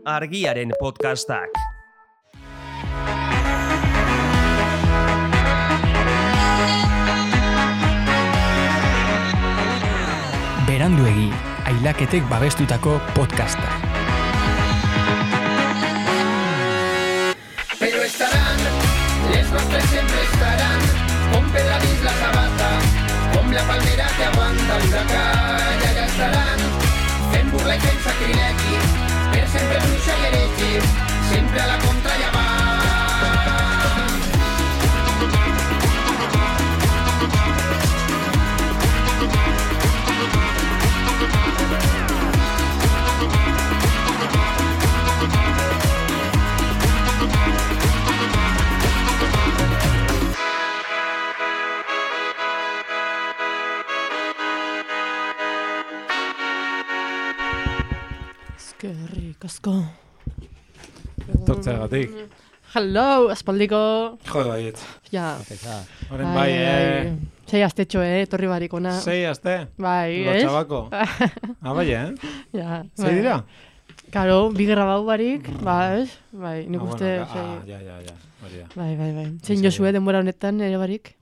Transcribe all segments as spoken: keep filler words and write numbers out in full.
Argiaren podcastak. Beranduegi, ailaketek babestutako podcasta. Pero estarán, les nostres siempre estarán, con Pedra la sabata, con la palmera que aguanta el huracán, y allá estarán, fent burla i fent sacrilegi, per sempre bruixa i heretge, sempre a la contra ja va. Eskerrik asko. Tortzeagatik. Hello, aspaldiko. Jode baiet. Ja. Horen bai, eh? Sei astetxo, eh? Torri barikona. Sei aste? Bai, ez? Lotxabako. Ah, bai, eh? Ja. Sei dira? Karo, bi grabau barik, ba, ez? Bai, nik Ah, uste... bueno, sei... ah, ja, ja, ja. Hori da. Bai, bai, bai. Zein jozue denbora honetan, ere barik?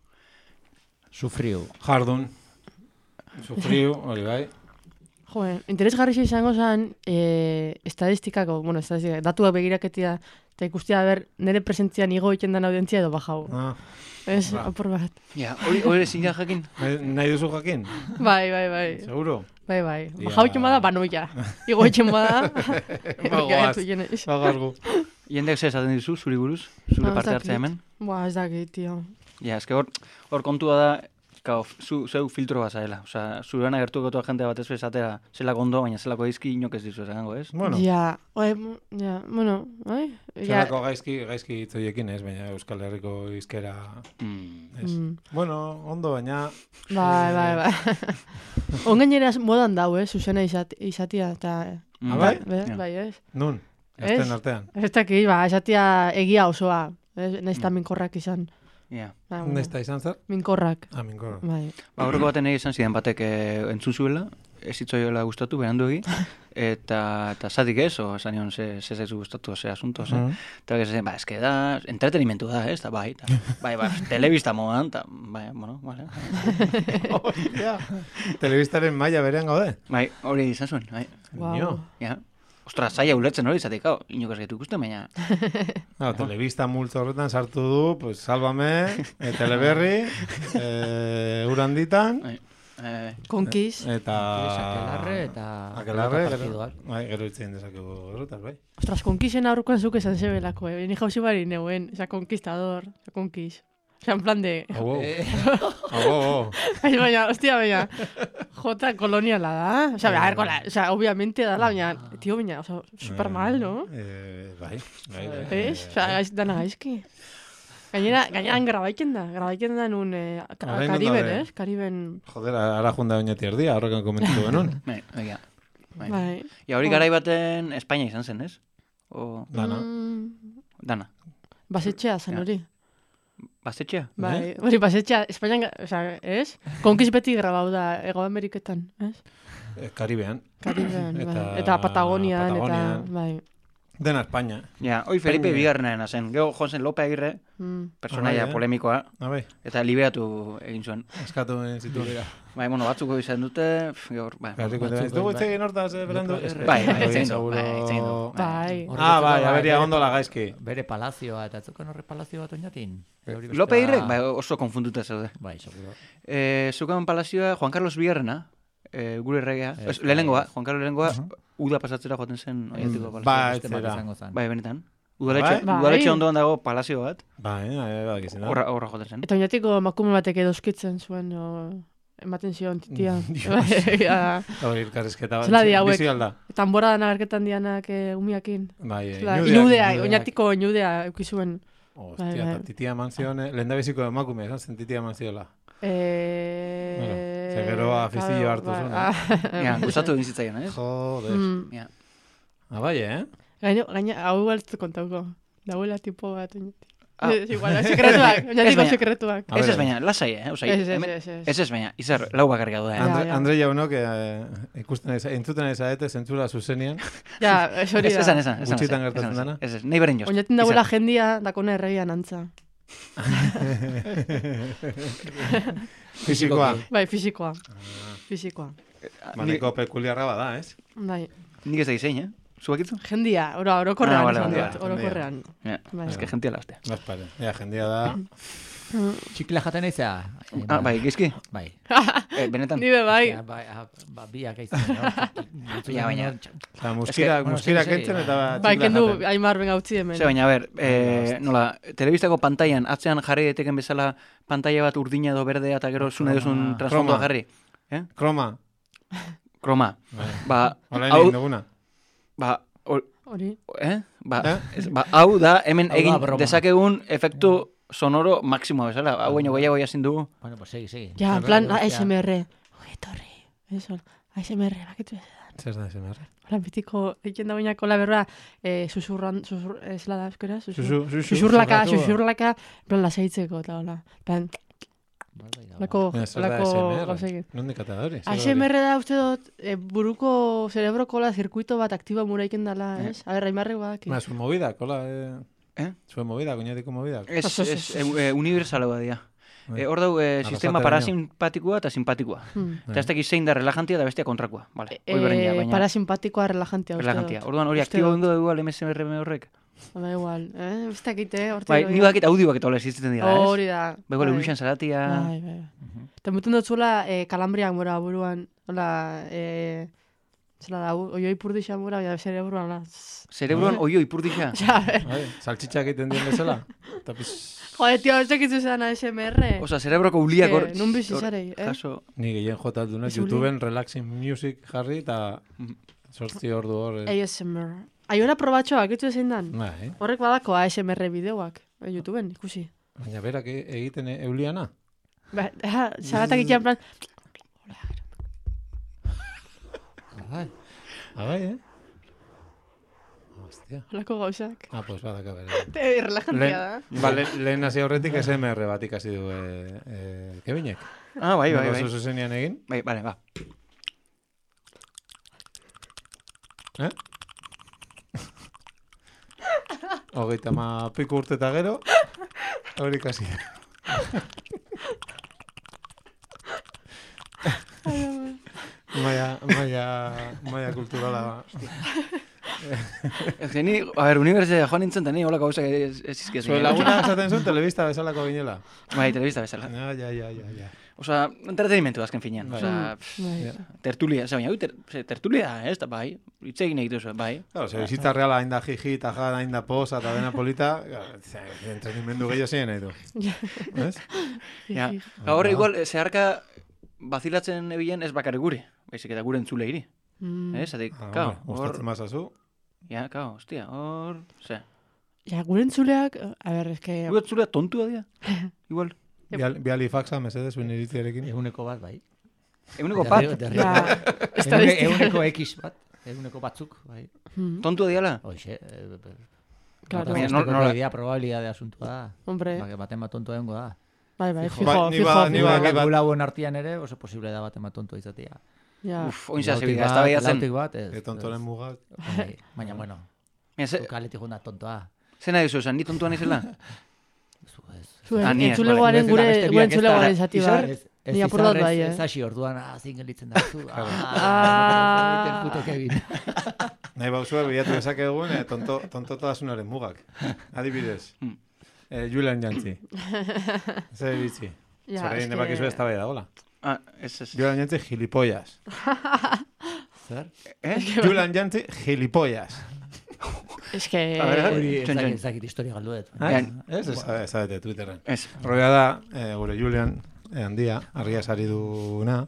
Sufriu. Jardun. Sufriu, hori bai. Joen, interesgarrixa izango zen, eh, estadistikako, bueno, estadistikako, datuak begiraketia, eta ikustia, ber, nire presentzian igo egiten den audientzia edo bajau. Ah, Ez, ba. apur bat. Ja, hori hori ezin da jakin. nahi, nahi duzu jakin? Bai, bai, bai. Seguro? Bai, bai. Ja. Bajau egiten bada, banoia. Igo egiten bada. Bagoaz, bagargu. Jendek zer esaten dizu, zuri buruz, zure Ah, ez parte dakit. hartzea hemen. Boa, ez dakit, tio. Ja, eske hor, hor kontua da, Kao, zu, zeu filtro bat zaela. Osa, zurean agertuko toa jente bat ez bezatera zelako ondo, baina zelako izki inok ez dizu esango, ez? Bueno, Ja, oe, ja, bueno, bai? Ja, zelako gaizki, gaizki hitzoiekin ez, baina Euskal Herriko izkera Mm. ez. Mm. Bueno, ondo, baina... bai, bai, bai. Ongainera modan dau, eh, zuzena izat, izatia, eta... Mm. Ah, bai? Be, Ja. bai, ez? Nun, Ez? ezten artean. Ez dakit, ba, izatia egia osoa. Ez, nahiz eta minkorrak izan. Ja. Ba, bueno, Nesta izan zer? minkorrak, Ah, minkoro. bai. Ba, horreko baten egin izan zidan batek eh, entzun zuela, ez hitzoiola gustatu, berandu egi, eta, eta zatik ez, o esan nion ze, ze zaizu gustatu, ze asunto, ze. Mhm. Eta que se ba, eske da, entretenimentu da, ez, eta bai, eta, bai, bai, telebista modan, eta, bai, bueno, vale. Hostia, telebistaren maila berean gaude. Bai, hori izan zuen, bai, Wow. Nio. ja. Ostra, zaila ulertzen hori izatik, hau, inok ez gaitu ikusten, baina, No, telebista multzo horretan sartu du, pues, Sálvame, e, Teleberri, e, Uranditan, bai, eh, Konkiz. eta... Akelarre eta... Akelarre, eta gero, partiduak. bai, gero itzen dezakegu horretaz, bai. Ostras, konkizen aurrukoan zuk esan zebelako, eh? Ni jauzi bari neuen, esa conquistador, esa konkiz. Osa, en plan de... Au, au, au, au. Ay, baina, hostia, baina, jota koloniala da. O sea, a ver, kola, o sea, obviamente da la, baina, tío, baina, o sea, super mal, ¿no? Eh, bai, bai, bai. ¿Ves? O sea, gaiz, dana gaizki. Gainera, gaineran grabaiken da, grabaiken da nun, eh, ka- Orain non Kariben, daude? ez? Kariben, Joder, ara junda oinati erdia, horrekan komentatu genuen. bai, egia. Bai. bai. Ja, hori Oh. garai baten Espainia izan zen, ez? O, Dana. Mm, dana. basetxea zen Ja. hori. Basetxea? Bai, hori basetxea, Espainian, o sea, ez? Konkiz beti grabau da, Ego Ameriketan, ez? Eh, Karibean. Kariben, bai. Eta- Eta Patagonian, Patagonian. eta, bai. Dena Espainia. Ja, hoi Felipe Espainia. bigarrenaren zen. Gero joan zen Lope Agirre, Mm. personaia Ah, bai, eh? polemikoa, Ah, bai, eta liberatu egin zuen. eskatu zitu. Bai, bueno, batzuko izan dute, pff, gaur, bai. Garriko, batzuk, ez dugu bai. hitz egin hortaz, eh, berandu? Bai, bai, Bai, hitz egin du, seguro- bai, hitz egin du. Bai. Ah, bai, Horretzeko, aberia bere- ondo la gaizki. Bere palazioa, eta atzukan horre palazio bat oinatin. Lope Agirre, bai, oso konfunduta zaude. Bai, seguro. Eh, zukan palazioa Juan Carlos Bigarrena, eh, gure erregea, Ez, ez, lehenengoa, bai, Juan Carlos lehenengoa, uda pasatzera joaten zen oiatiko palazioa. Bai, Beste bat zera. izango zen. Bai, benetan. Udaletxe, Bai. udaletxe ondoan dago palazio bat, Bai, eh, badakizena. horra, horra joaten zen. Eta oinatiko emakume batek edoskitzen zuen, o, ematen zion titia. Dios. Ja. Hori, elkarrizketa bat. Zela di hauek. Bizi alda. Eta anboradan agerketan dianak eh, umiakin. Bai, eh, Zela, inudeak, inudea, inudeak. oinatiko inudea eukizuen. Hostia, Bai, bai. eta titia eman zion, eh, lehendabiziko emakume, esan zen titia eman ziola. Eh... Bueno, ze gero afizio claro, hartu bai, zuen, ah, Ja, gustatu egin zitzaion, ez? Joder. mm. Ja. Ah, bai, eh? Gaino, gaina, hau galtzu kontauko. Dauela tipo bat oinati. Ah. Ez, igual, sekretuak, oinatiko baina- sekretuak. Ez ez baina, lasai, eh? Osea, Ez, ez, hemen- ez, ez. Ez ez baina, izar, lau bakarrik gaude, eh? Andre, ja. Andre jaunok eh, ikusten ez, entzuten ez aete, zentzura zuzenean, Ja, ez hori Ez da. esan, esan, esan. Gutxitan esan, gertatzen esan, dena? Ez ez, nahi beren jost. Oinaten dagoela jendia, dakone erregian antza. Fisikoa. Bai, fisikoa. Fisikoa. Maneko pekuliarra bada, ez? Bai. Nik ez da izein, eh? Zubakitu? Jendia, oro, orokorrean. Ah, vale, esan vale, dut, vale. orokorrean. Ja, Bai. ez que gentia lastea. Gaspare. Ja, jendia da. Txikila jaten eiza? Ah, bai, gizki? Bai. Eh, benetan. Nibe bai. Ja, bai, ah, ba, biak eitzen. Ja, baina- Eta muskira, bueno, muskira segi, segi, kentzen bai. eta Bai, txikla kendu, jaten. Aimar benga utzi hemen. Ze, baina, a ber, eh, nola, telebistako pantailan, atzean jarri daiteken bezala pantaila bat urdina edo berdea eta gero zune duzun transfondoa Kroma. jarri. Eh? Kroma. Kroma. Bai. Ba, Hola hau, egin duguna. ba, hor- Hori. eh? Ba, Eh? ez, ba, hau da, hemen Hau da egin broma. dezakegun efektu sonoro maksimoa bezala. Hau baino gehiago jasin dugu. Bueno, pues segi, segi. Ja, en plan, Hostia. A S M R. Oye, torri. Eso, A S M R, bakitu ez. Zer da esan berre? Hola, bitiko, egin da bainako la berroa, eh, susurran, susur, ez la da, euskera? Susur, Susu, susu. susurlaka, susurratu. susurlaka, en plan, lasaitzeko, eta hola. En plan, Bai, bai, da, lako, Baina zer da lako A S M R? gauzekin. Nondik ata da hori? Zer A da S M hori? R da uste dut, eh, buruko cerebrokola zirkuito bat aktiba muraiken dala, ez? A ber, Aimarrek badak. Ba, zuen movidak, hola, eh? Eh? Zuen movidak, oinatiko movidak. Ez, Ez, ez, ez, ez. e, universala badia. Bai. E, hor dau, e, sistema Arrasateraino. parasimpatikoa eta simpatikoa. Hmm. Eta ez dakit zein da relajantia eta bestia kontrakoa. Vale, hori Eh, berdina, baina parasimpatikoa relajantia uste relajantia. dut. Orduan hori Uste aktibo dut. ingo dugu M S R M horrek. Ba, igual, eh? Ez dakit, eh? Hortik Bai, hori. ni bakit audio bakit hola existitzen dira, ez? Hori da. Bego bai. Luruxan zaratia. Bai, bai. Eta mutun dut zuela eh, kalambriak mora buruan. Hola, eh... Zela da, oioi purdixa mora, baina zereburuan, la... Zerebruan oio ipurdixa. Ja, a ver. Bai, saltxitxak egiten dien bezala. Eta piz... Joder, tio, ez dakizu zean A S M R. Osa, zerebroko uliak hor... Eh, nun bizi hor- zarei, eh? Jaso... Ni gehien jota duna, Ez uli. YouTubeen relaxing music jarri eta sortzi ordu hor. A eh. S M R. Aiora probatxoa, akitu ezin dan? Bai, Horrek badako A S M R bideoak, eh, YouTubeen, ikusi. baina berak e- egiten e- euliana. Ba, ja, zagatak ikian plan... Bai. Ah, bai, eh? Hostia. Holako gauzak. Ah, pues badaka bere. Eh, relajantia da. Ba, le, lehen hasi aurretik S M R bat ikasi du eh, eh, Kevinek. Ah, bai, bai, bai. Oso zuzenean egin. Bai, bale, ba. Eh? Hogeita ma piku urte eta gero, hori ikasi. Maia, maia, maia kulturala. Ez que ni, a ber, unibertsitatea joan nintzen, eta ni holako gauzak ez ez izkiz. Zue laguna esaten zuen telebista bezalako ginela. Bai, telebista bezala. Ja, ja, ja, ja, ja. Osa, entretenimentu azken finean. Bai. Osa, Bai. tertulia, ze baina, ui, ter, ze, tertulia, ez da, bai. Hitz egin egituzu, bai. Claro, ze bizitza reala hain da jiji, eta jan, hain da posa, eta dena polita, ze, entretenimendu gehiago zein nahi du. Ez? Ja. Gaur igual, eh, zeharka bazilatzen ebilen ez bakarrik gure, baizik eta gure entzule iri. Mm. Ez, adik, Ah, kao, hombre, hor, gustatzen mazazu. ja, kao, hostia, hor, ze. Ja, gure entzuleak, a ber, eske... Gure entzulea tontua dira, igual. Bial, biali faxa, mesedez, zuen iritziarekin. Eguneko bat, bai. Eguneko pat, Derri- Ja, Egune- estadistika. Eguneko X bat. Eguneko batzuk, bai. Mm, tontua diala. Hoxe, eh, eh, Claro. Baina, Baina, no- nola- idea, probabilidade asuntua da. Hombre, Ba, baten bat tontoa egongo da. bai, bai, Fijo. fijo, Bai, ni fijo, ba- ni fijo. ba- Gula- bat- Gula hauen artean ere, oso posible da baten bat tontoa izatea. Ja. Uf, oin zehaz Lautik ebida, ez bat, da baiatzen. lautik bat, ez. E tontoren mugak. Bai, Baina, bueno, Mira, ze, kaletik junda tontoa. ze nahi duzu esan, ni tontua nizela? Zu, ez. Zuen, Ah, ni ez, entzulegoaren vale. gure, Beste gure biak ez da, entzulegoaren zati izar? bat. Ez, ez Ni apur dut izarrez, bai, eh? ez hasi orduan, ah, zingen litzen da zu. Ah. Puto Kevin. Nahi bauzue, bilatu dezakegun, eh, tonto, tontotasunaren mugak. Adibidez. Hmm. Eh, Julian Jantzi. Zer bitzi. Ja, Zer egin eske- debakizu ez da bai da, hola. Ah, ez, ez. Julian Jantzi, gilipollas. Zer? Eh? Julian Jantzi, gilipollas. Eske... A ver, Hori Txon, ez txon. dakit- ez dakit historia galduet. Eh? Ja. Ez, ez, ez da Twitterren. Ez. Roia da, eh, gure Julian, eh, handia, argia sari duna,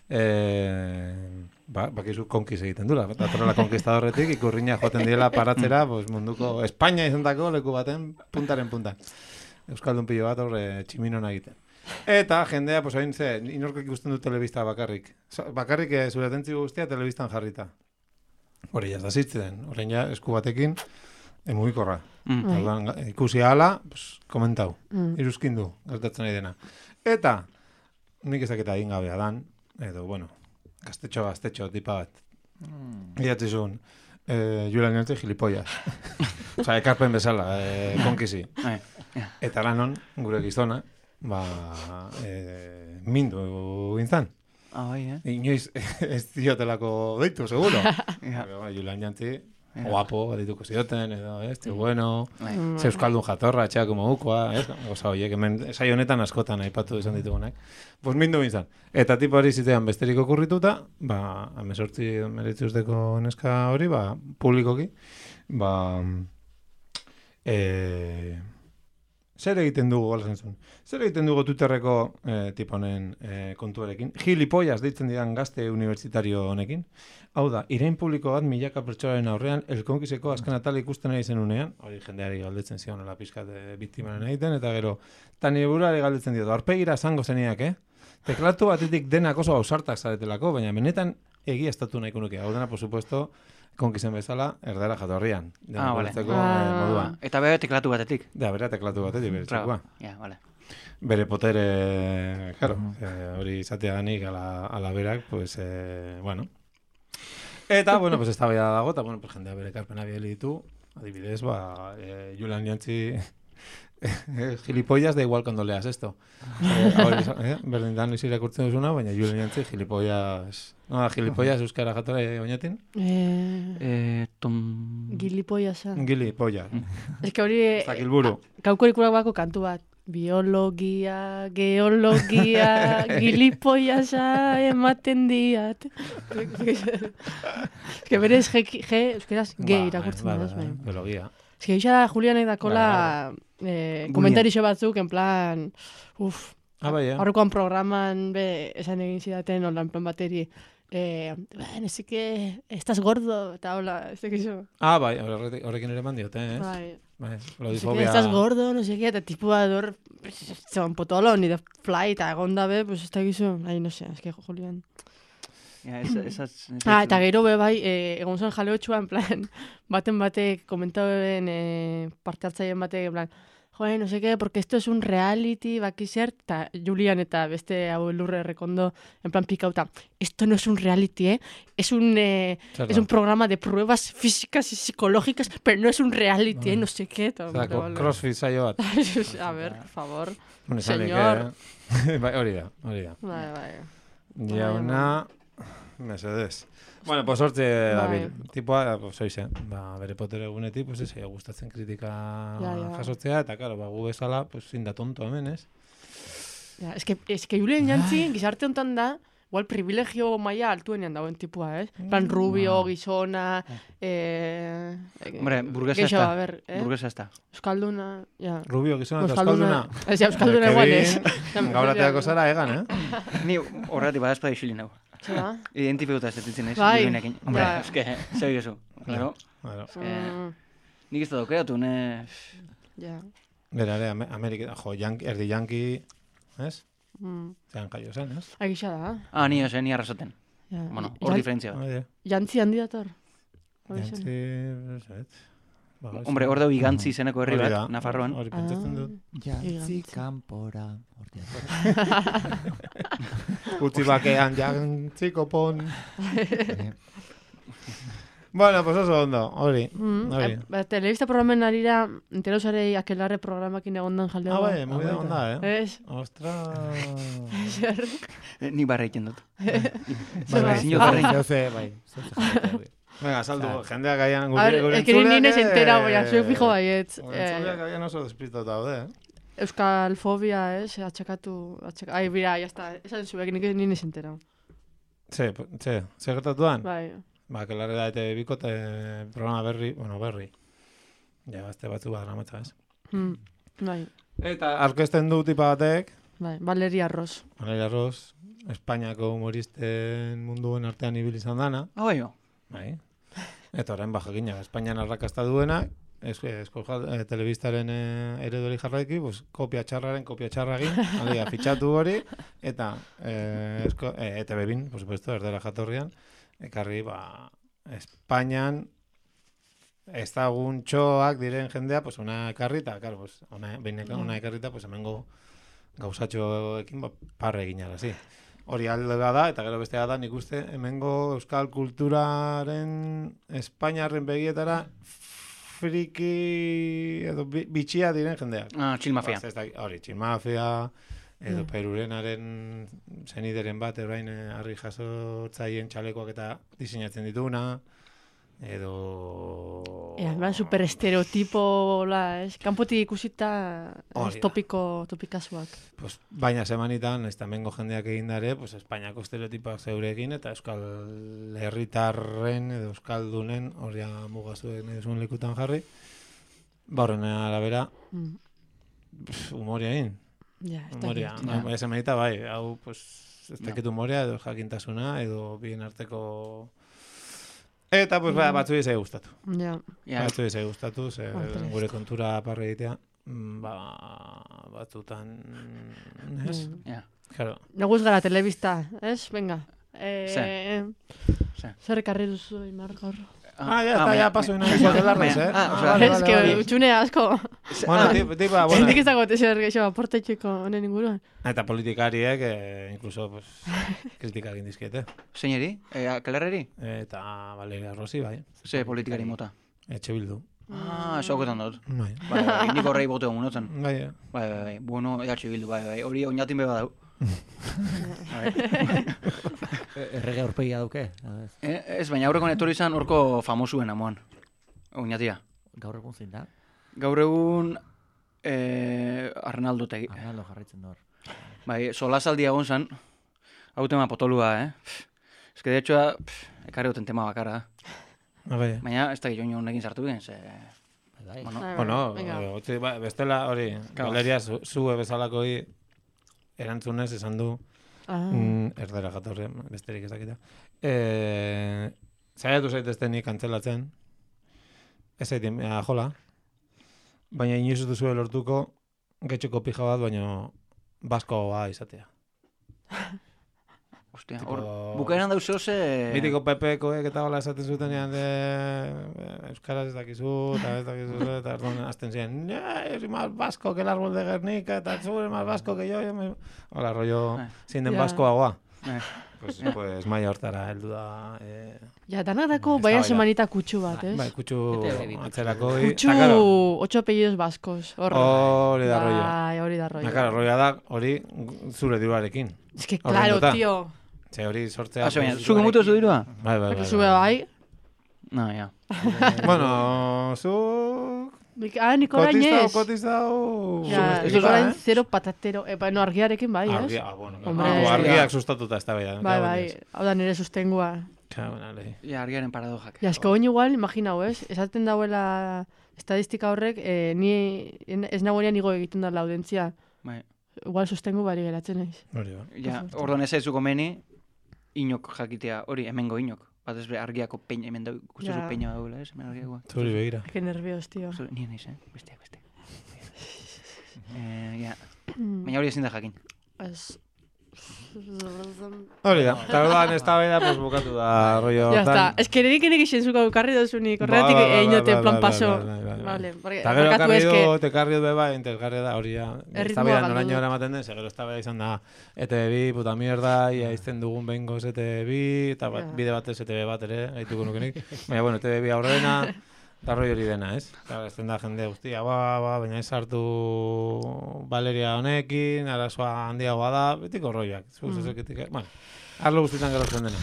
eh, ba, bakizu konkiz egiten dula. Datorrela konkistadorretik, ikurriña joaten diela paratzera, pues, munduko Espainia izantako leku baten puntaren punta. Euskaldun pilo bat horre tximinon egiten. Eta jendea, pues, hain ze, inorkak ikusten du telebista bakarrik. Sa- Bakarrik eh, zure atentzi guztia telebistan jarrita. Hori jaz da zitzen, horrein ja esku batekin, E, mugikorra. Mm. Bai. Orduan, ikusi hala, pues, komentau. Mm. Iruzkin du, gertatzen nahi dena. Eta, nik ez dakita egin gabea dan, edo, bueno, gaztetxo, gaztetxo, tipa bat. Mm. Idatzi zuen, eh, Julian Jantzi gilipollas. Osa, ekarpen bezala, eh, konkizi. Bai, ja. Eta lanon, gure gizona, ba, eh, mindu gintzan. Ah, bai, eh? Inoiz ez diotelako deitu, seguro. Ja. Pero, ba, Julian Jantzi, Ja. guapo, dituko zioten, edo, ez, tío bueno, Bai. ze euskaldun jatorra, etxeako mogukoa, ez? Osa, horiek, hemen, saio honetan askotan aipatu izan ditugunak. Pues mindu gintzan. Eta tipo hori zitean besterik okurrituta, ba, amesortzi meretzuzteko neska hori, ba, publikoki, ba, e, zer egiten dugu, gala zentzun, zer egiten dugu Twitterreko e, tiponen e, kontuarekin, gilipollas deitzen didan gazte unibertsitario honekin. Hau da, irain publiko bat milaka pertsonaren aurrean, elkonkizeko azken atal ikusten nahi zenunean, hori jendeari galdetzen zion, la pizkat biktimaren egiten, eta gero, eta nire burari galdetzen dio, arpegira zango zeniak, eh? Teklatu batetik denak oso ausartak zaretelako, baina benetan egia estatu nahiko nuke. Hau dena, por supuesto, konkizen bezala, erdara jatorrian. Ah, vale. Denak Ah. moduan. Eta bere teklatu batetik. Da, bera teklatu batetik, bere Claro. txekua. Ja, vale. Bere potere, claro, eh, hori izateaganik ala, ala berak, pues, eh, bueno. Eta, bueno, pues, esta bella dago, eta, bueno, pues, jendea bere karpena bideli ditu, adibidez, ba, eh, Julian Jantzi, gilipollas da igual cuando leas esto. Eh, hori, eh, berdin dan izi irakurtzen duzuna, baina Julian Jantzi, gilipollas, no, da, gilipollas euskara jatora oinatin, Eh, Eh, tom... gilipoia san. gilipollas, Ez que hori... ez dakil buru. Kaukorikurak bako kantu bat. Biologia, geologia, gilipoiasa ematen diat. Ez que berez G, G euskeraz G Ba, irakurtzen ba, da, ba, bai. biologia. Ez que isa da Julianek dakola eh, Gunean. komentarixo batzuk, en plan, uf, Ah, bai, eh? aurrekoan programan be, esan egin zidaten, hola, en plan bateri, eh, bueno, sí que estás gordo, eta hola, ez dakizu. Ah, bai, horrekin horrekin ere mandiot, eh? Bai. Bai, No sé qué, lodifobia. estás gordo, no sé qué, eta tipua dor, zeban potolo, ni de fly, eta egon dabe, pues ez dakizu, ai, no sé, es que Julian. Ja, esa, esas... Ah, eta gero be bai, eh, egon zen jaleotxua, en plan, baten batek komentau beben eh, parte hartzaileen batek, en plan, joder, no sé qué, porque esto es un reality, baki zer, eta Julian eta beste hau lurre rekondo, en plan pikauta, esto no es un reality, eh, es un, eh, Zer es da? un programa de pruebas físicas y psicológicas, pero no es un reality, eh, no sé qué. eta, Osea, vale, vale. crossfit saio bat. A ver, por favor. Bueno, esanik, Señor. eh? Bai, hori da, hori da. Bai, bai. Jauna, mesedez. Bueno, pues hortze dabil. Tipoa, pues oize, ba, bere potere egunetik, pues ez, gustatzen kritika Ja, ja. jasotzea, eta claro, ba, gu bezala, pues zinda tonto hemen, ez? Ja, es que, es que Julian Jantzi, gizarte honetan da, igual privilegio maila altuenean dagoen tipua, ez? Mm. Plan rubio, gizona, eh... Hombre, burguesa geixo, esta. a ver, eh? Burguesa esta. Euskalduna, ja. Rubio gizona eta euskalduna. Ez, ja, Euskalduna igual ez. Gaurateako zara egan, eh? Ni horretik badazpa isilin nago. Zera? Identifikuta ez detintzen naiz. Bai. Julianekin. Hombre, Ja. eske, zer gezu. Claro. Bueno, Mm, Nik ez da daukeatu, ne... ja. berare, Amerika, jo, yanki, erdi yanki, ez? Mm. Zean jaio zen, ez? Agisa da. Ah, ni ose, ni arrasaten. Ja. Bueno, hor Jan- diferentzia bat. Hori, Jantzi handi dator. Hori zen. jantzi, ez, ez. Ba, ez. Hombre, hor dau igantzi izeneko herri Hori da, bat, Nafarroan. Hori pentsatzen dut. Jantzi Igantzi. kanpora. Hortia. Utzi bakean jantzi kopon. Eh, Bueno, pues oso ondo, hori. Mm, Hori. eh, ba, telebista programen arira, enterosarei akelarre programakin egondan jaldeo. Ah, bai, muy da onda, eh? Ez? Ostras. Zer? Eh, Ni barra egiten dut. Zer Bai, da? zinio Ah, barra egiten. Zeuze, bai. Zeuze jarraitu hori. Venga, saldu, Claro. jendeak gaian A gure, ver, gure es que ni entzuleak, nines eh, entera, boia, zuek fijo baietz. Gure Eh, entzuleak gaian oso despistatuta daude, eh? Euskal fobia, ez? Atxakatu, atxakatu. Ai, bira, ya está. Esan zuek, nik nines entera. Ze, ze, ze gertatuan? Bai. Ba, kelarre da eta bikote programa berri, bueno, berri. Ja, azte batzu bat dramatza, ez? Mm, bai, Eta arkesten du tipa batek, bai. Valeria Ross. Valeria Ross, Espainiako humoristen munduen artean ibili izan dana, Ah, bai, jo. bai. Eta orain bajakina, Espainian arrakasta duena, ez, esko eh, telebistaren eh, eredori jarraiki, pues, kopia txarraren, kopia txarragin, alia, fitxatu hori, eta eh, esko, eh, E T B bin, por supuesto, erdera jatorrian, ekarri, ba, Espainian ezaguntxoak diren jendea, pues, ona ekarri, eta, claro, pues, ona, behin ona ekarrita, pues, hemengo gauzatxoekin ba, parre egin arazi. Hori alde da, eta gero bestea da, nik uste, hemengo euskal kulturaren Espainiarren begietara friki edo bi, bitxia diren jendeak. Ah, txilmafia. Ba, hori, txilmafia, edo mm. Perurenaren zenideren bat, erain harri jasotzaien txalekoak eta diseinatzen dituna, edo... Ea, ba, super estereotipo, la, es, kanpotik ikusita es, topiko, topikasuak. Pues, baina semanitan, ez tamengo jendeak egin dare, pues, Espainiako estereotipak zeurekin, eta euskal herritarren edo euskaldunen, hori mugazuen eduzun likutan jarri, ba horren arabera, mm. humoria egin. Ja, humoria. Ja. Semanita, bai, hau, pues, ez dakit humoria, edo jakintasuna, edo bien arteko... Eta, pues, mm. batzu izai gustatu. Ja. Yeah. Batzu izai gustatu, ze gure kontura parre egitea, ba, batzutan, ez? Mm. Yeah. Claro. Naguz gara telebista, ez? Venga. Eh, Se. Zer ekarri duzu, Imar, gaur? Ah, ya está, ya paso una vez de la res, eh? Ah, o sea, es que utxune asko. Bueno, tipa, bueno. Nik ezagot ezer geixo aportetxeko honen inguruan. Eta politikariek, eh, incluso, pues, kritika egin dizkiete. Zeineri? Eh, Kelerreri? Eta Valeria Rossi, bai. Ze politikari mota? Etxe Bildu. Ah, eso oketan dut. Bai. Bai, bai, nik horrei bote honotzen. Bai, bai, bai, bai. Bueno, Etxe Bildu, bai, bai. Hori oinatin beba dau. Errege aurpegia duke? Ez, baina aurreko netori izan horko famosuen amoan. Oinatia. Gaur egun zein da? Gaur egun eh, Arnaldo tegi. Arnaldo jarraitzen dut. Bai, solasaldi egon zan, hau tema potolua, eh? Ez que de hecho, ekarri goten tema bakarra. Bai. Baina, ez da joan honekin sartu gen, ze... Bai, bueno, bueno, bestela hori, Valeria zue bezalako hi, erantzunez esan du, ah. mm, erdera jatorre, besterik ez dakita. E, Zaiatu zaitezten nik antzelatzen, ez zaitin, jola, baina inoiz duzu lortuko, getxoko pija bat, baina baskoa izatea. Ostia, hor, bukaeran dauzio ze... Mitiko Pepekoek eta hola esaten zutenean de... Euskaraz ez dakizu, eta ez dakizu, eta erdon azten ziren, yo soy más vasco que el árbol de Guernica, eta zu eres más vasco que yo, hola, rollo, zein den baskoagoa. Pues, pues maia hortara heldu da... Eh, ja, danadako baina semanita kutsu bat, ez? Bai, kutsu atzerako. Kutsu ocho apellidos baskos. Hori da rollo. Bai, hori da rollo. Claro, rolloa da, hori zure diruarekin. Es que, claro, tío. Ze hori sortzea... Ah, baina, zuke mutu zu dirua? Bai, bai, bai. Zube bai. No, ja. Bueno, zu... Ah, niko orain ez. Kotizau, kotizau... Ja, niko orain zero patatero. Epa, no, argiarekin bai, ez? Argia, ah, bueno. Argiak sustatuta ez da bai. Bai, bai. Hau da nire sustengua. Ja, argiaren paradojak. Ja, esko oin igual, imaginau, ez? Esaten dauela estadistika horrek, eh, ni ez nagoenean igo egiten da laudentzia. Bai. Igual sustengu bari geratzen naiz. Hori ba. Ja, orduan ez aizuko meni, inok jakitea, hori, hemengo inok. Bat ez be, argiako peina, hemen da, ikustezu peina daula, ez? Hemen argiakoa. Zuri begira. Que nervios, tío. Nien naiz, eh? Besteak, besteak. eh, ja. Baina hori ezin da jakin. Ez... Hori da, eta orduan ez da beda, pues bukatu da, rollo. Ya está, ez que nedik enek isenzuko karri dozunik, horretik einote plan paso. Vale, eta gero karri du, te karri du beba, entelgarri da, hori ja, ez da beda noraino eramaten den, segero ez da beda izan da, E T V bi, puta mierda, ia izten dugun behingoz E T V bi, eta bide batez E T V bat ere, gaituko nukenik. Baina, bueno, E T V bi aurrena, eta roi hori dena, ez? Eta ez da jende guztia, ba, ba, baina ez hartu Valeria honekin, arazoa handiagoa da, betiko roiak. Mm. Bueno, arlo guztietan gerozten dena.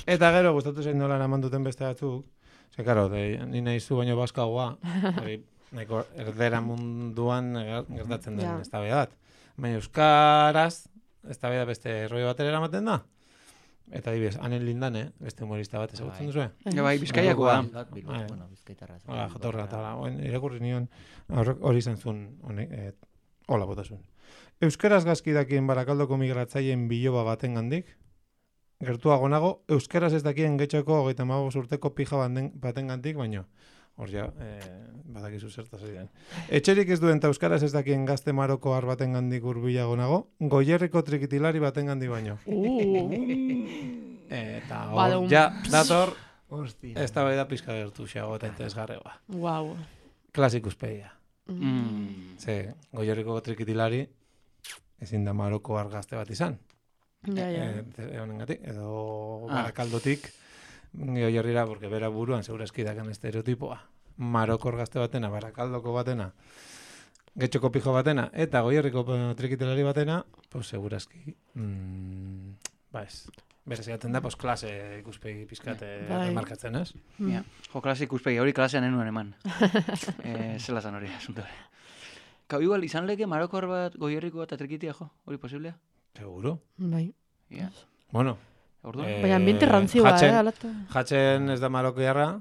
Eta gero, gustatu zein nola eraman duten beste batzuk, ze, karo, ni nahi zu baino baskagoa, hori, nahiko erdera munduan gertatzen den ez da bat. Baina euskaraz, ez da beste roi batera eramaten da. Eta dibes, Anen Lindane, beste humorista bat ezagutzen duzu, eh? Ja, bai, Bizkaiakoa. Bueno, Bizkaitarra. Hola, jatorra, eta irakurri nion, hori izan zuen, hola botasun. Euskaraz gazki dakien Barakaldoko migratzaien biloba baten gandik, gertuago nago, euskaraz ez dakien getxoko hogeita hamabost urteko pija baten gandik, baino, hor ja, badakizu zertaz egiten. Etxerik ez duen eta euskaraz ez dakien gazte maroko har baten gandik urbilago nago, goierriko trikitilari baten gandik baino. Eta hor, ja, dator, Hostia. Ez da bai da pizka gertu xago eta interesgarregoa. Guau. Klasikuspegia. Mm. Ze, Goierriko trikitilari ezin da Maroko argazte bat izan. Ja, ja. E, honengatik, edo Ah. Barakaldotik Goierrira, porque bera buruan segurazki dakan estereotipoa. Maroko argazte batena, Barakaldoko batena, Getxoko pijo batena, eta Goierriko trikitilari batena, pues segurazki, mm, ba ez, berez egaten da, pues klase ikuspegi pizkate Bai. markatzen, ez? Ja. Jo, klase ikuspegi, hori klasean enuen eman. eh, zela zan hori, asunto hori. Kau, igual, izan leke Marokor bat, Goierriko bat, atrikitia, jo? Hori posiblea? Seguro. Bai. Ja. Bueno, Orduan? Eh, Baina ambiente rantzioa, jatzen- eh, alata. jatzen ez da Marokiarra,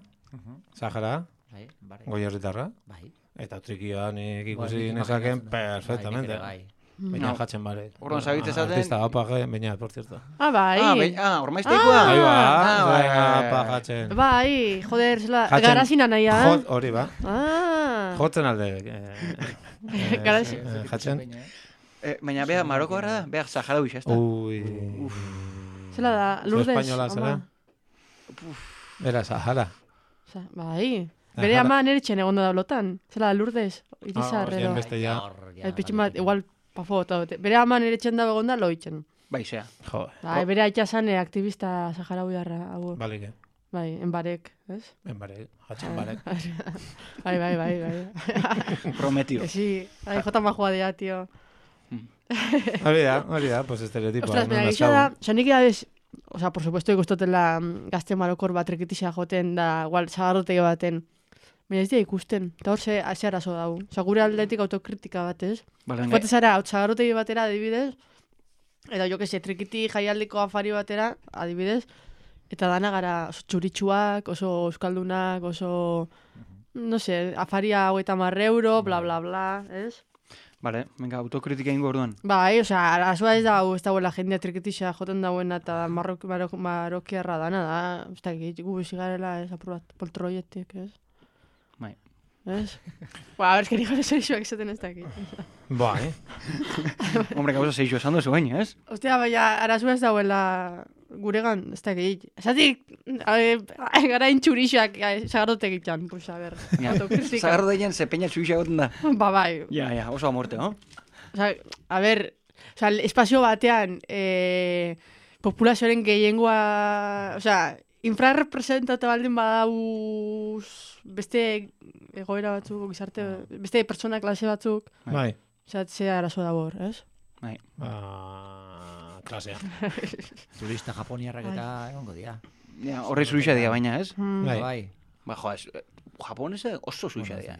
Sahara, Bai, bare. Goierritarra, Bai. eta trikioa nik Bai, ikusi nik nezaken imaginatzen dut. perfectamente. Bai, nik ere Baina No. jatzen bare. Orduan zabitze zaten- Artista apa baina, por cierto. Ah, bai. Ah, be, ah, ormaizteikoa? Ahí va, Ah, bai, bai, apa bai. jatzen. Bai, joder, zela, Jatzen- garazina nahi, ah? Jot, hori ba. Ah. Jotzen alde. eh, eh, Garazi- eh, Jatzen. Eh, baina bea Marokoarra da, bea Saharaui, ez da? Ui. Zela da, Lourdes. espainola zera? ama. Era Sahara. Osa, bai. Ah, Bere jala. ama neretxen egon da blotan. Zela da, Lourdes, Irizar, Ah, edo. beste ja. El pitxin bat, igual, pafo, eta bote. Bere ama neretxen da egon da loitzen. Bai, zea. Jo, Bai, bere aita zan eh, aktivista saharauiarra, hau. balike. Bai, enbarek, ez? Enbare, jatzen barek. Bai, bai, bai, bai. Prometio. Que sí, ai, jota majua dira, tio. Hori da, hori da, pues estereotipoa. Ostras, baina gisa da, oza, nik edabez, oza, por supuesto, ikustotela mm, gazte marokor bat rekitisa joten da, igual, zagarrotegi baten. Baina ez dira ikusten, eta hor ze, ze arazo dau. Oza, gure aldetik autokritika bat, ez? Bale, Joate zara, hau zagarrotegi batera, adibidez, eta jo que se, trikiti jaialdiko afari batera, adibidez, eta dana gara oso txuritsuak, oso euskaldunak, oso, no sé, afaria hogeita hamar euro, bla, bla, bla, ez? Bale, venga, autokritika ingo orduan. Bai, osea, arazoa ez da, ez dagoela jendea trikitisa joten dauena eta marrok, marok, marokiarra dana da, ez da, gu bizi garela ez apur bat poltroietik, ez? Bai. Ez? Ba, a ber, esken igual eserixoak esaten ez dakit. Bai. Hombre, gauza zeixo esan duzu baina, ez? Ostia, baina arazoa ez dagoela guregan, ez dakit. Esatik, eh, gara intxurixak zagarrotek itxan, pues, a ber, Ja. autokritika. Zagarro daien ze peña txuixa goten da. Ba, bai, Ja, ja, oso amorte, no? Osa, a ber, osa, espazio batean, eh, populazioaren gehiengoa, osa, infrarrepresentatu baldin badauz beste egoera batzuk, gizarte, beste pertsona klase batzuk, Bai. osa, ze arazo dago hor, ez? Bai. Ba, klasea. Turista japoniarrak eta egongo dira. Ja, horre zuixa dia baina, ez? Hmm. Bai. Bai. Ba, jo, ez, eh, japonese oso zuixa dia.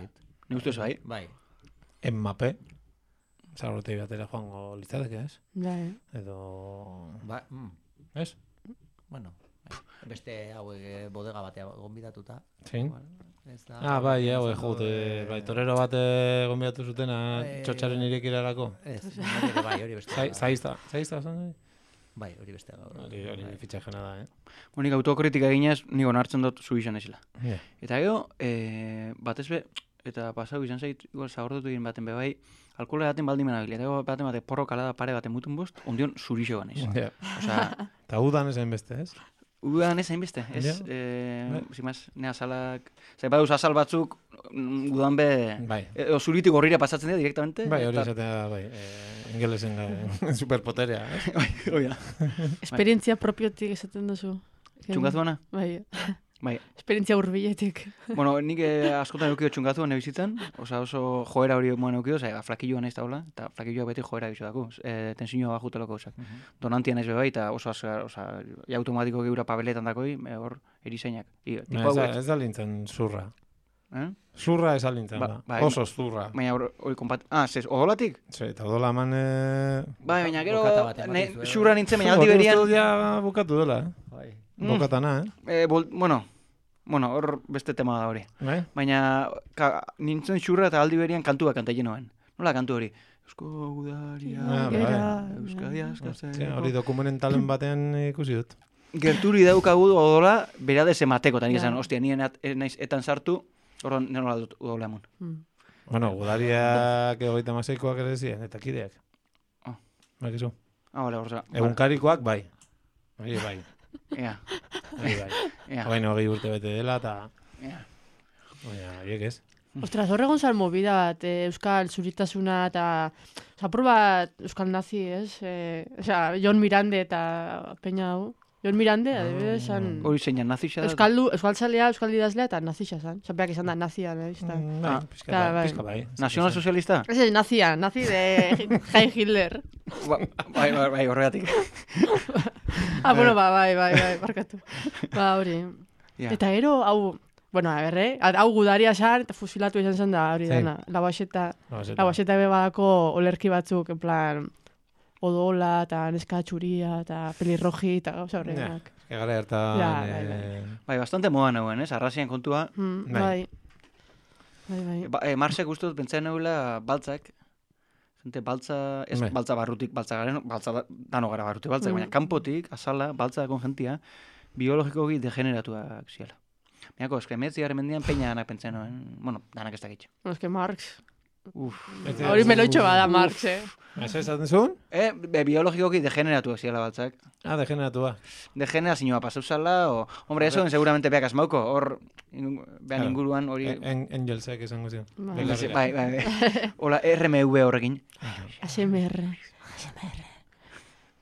Ni uste bai? Bai. Enmape. Zagrotei batera joango litzateke, ez? Bai. Edo... Ba, mm, Ez? bueno. bai. Beste hauek eh, bodega batea gonbidatuta. Zein? Igual, ez da- Ah, bai, hau, izango, jute, eh, bai, torero bat gonbidatu zutena Eh, txotxaren irekirarako. Ez, hori ere bai, hori beste. Zai- Zaizta, zaizta, zan hori? Bai, hori beste gaur. Hori, hori Bai. fitxajena da, eh? Monik autokritika eginez, nik onartzen dut zuixan esila. Yeah. Eta gero, e, batez be, eta pasau izan zait, igual zagortutu egin baten be bai, alkohola daten baldin menabili, eta gero baten bate porro kalada pare baten mutun bost, ondion zurixo ganez. Yeah. Osea, Eta udan ezen beste, ez? udan ez hainbeste, ez, Ja. eh, Bai. zimaz, ne azalak, zai baduz azal batzuk, mm, udan be, Bai. e, zuritik horrira pasatzen dira direktamente. Bai, hori eta- esatea, bai, eh, ingelesen ga- superpoterea, ez? Bai, hoi da. Esperientzia propiotik esaten duzu. Txungazuana? Bai. Bai. Esperientzia hurbiletik. Bueno, nik eh, askotan eukio txungatua ne bizitzan, oza oso joera hori moan eukio, oza, flakilloa naiz taula, eta flakilloa beti joera bizo dako, e, tensioa bajutelako osak. Donantia naiz bebai, eta oso azkar, oza, ja automatiko geura pabeletan dakoi, e, hor erizainak. I, tipo Ba, ez, da, hauek, ez da lintzen zurra. eh? Zurra ez da lintzen, Ba- ba, bai. Oso zurra. Baina hor, hori konpat... Ah, zez, odolatik? Ze, eta odola eman... Eh... Bai, baina gero, bokata bat ematen ne, dizu, eh? xurra nintzen, baina aldi Hori berian... uste dut ja bukatu dela, eh? Bai. Mm. Bokatana, eh? Eh, bol, bueno, bueno, hor beste tema da hori. Bai? Baina ka, nintzen xurra eta aldi berian kantua kanta noen. Nola kantu hori? Eusko Udaria, Ah, bai. Gera, Euskadi askatzen. Ze, hori dokumentalen batean ikusi dut. Gerturi daukagu odola, beradez emateko, eta nik Ja. esan, ostia, nien et, et, naiz etan sartu, horren nola dut odola emun. Hmm. Bueno, gudariak egoita maseikoak ere ziren, eta kideak. Ah. Bakizu. Ah, bale, horza. Egunkarikoak, bai. Hori, bai. Ja. Bai, bai. Ja. Baina hogei urte bete dela, eta... Ja. Baina, horiek ez. Ostras, hor egon zan movida bat, eh, euskal zuritasuna eta... Zapur bat euskal nazi, ez? Eh, Osea, Jon Mirande eta peña hau. Jon Mirande, adibidez, san... Hori zeinan nazixa da? Euskaldu, euskaltzalea, euskal idazlea eta nazixa zan. Zapeak izan da nazia, nahi, izan. Mm, bai, Ah, pizka claro, bai, bai. pizka bai. Nazional sozialista? Ez ez, nazia, nazi de Heil Hitler. Ba, bai, bai, bai, horregatik. Ah, bueno, ba, bai, bai, bai, barkatu. Ba, hori. Ja. Eta ero, hau, bueno, a ber, eh? Hau gudaria zan, eta fusilatu izan zen da, hori Zein? dana. Labaxeta, Labaxeta. labaxeta ebe badako olerki batzuk, en plan, odola, eta neska txuria, eta pelirroji, eta gauza Ja, horrenak. eske gara hartan... Ja, bai, eh, Bai, bastante moda nagoen, ez? Arrazian kontua. Mm, Bai. bai. Bai, bai. Ba, e, Marsek uste dut pentsa nagoela baltzak. Gente, baltza, ez Bai. baltza barrutik, baltza garen, baltza da- dano gara barrutik baltzak, Mm. baina kanpotik, azala, baltza dakon jentia, biologikoki degeneratuak ziala. Baina, eske emetziaren mendian peina danak pentsa noen, bueno, danak ez dakitxo. No, eske Marx. Uf. ez- Hori melotxo bada Marx, eh? Ez esaten zuen? E, be, biologikoki degeneratuak ziala baltzak. Ah, degeneratua. Degenerazioa pasauzala, o... Hombre, eso seguramente beak asmauko, hor, in, behan Claro. inguruan hori... En, Angelsek esango zion. Bai. Belarriak. Bai, bai, bai. Hola, R M V horrekin. A S M R.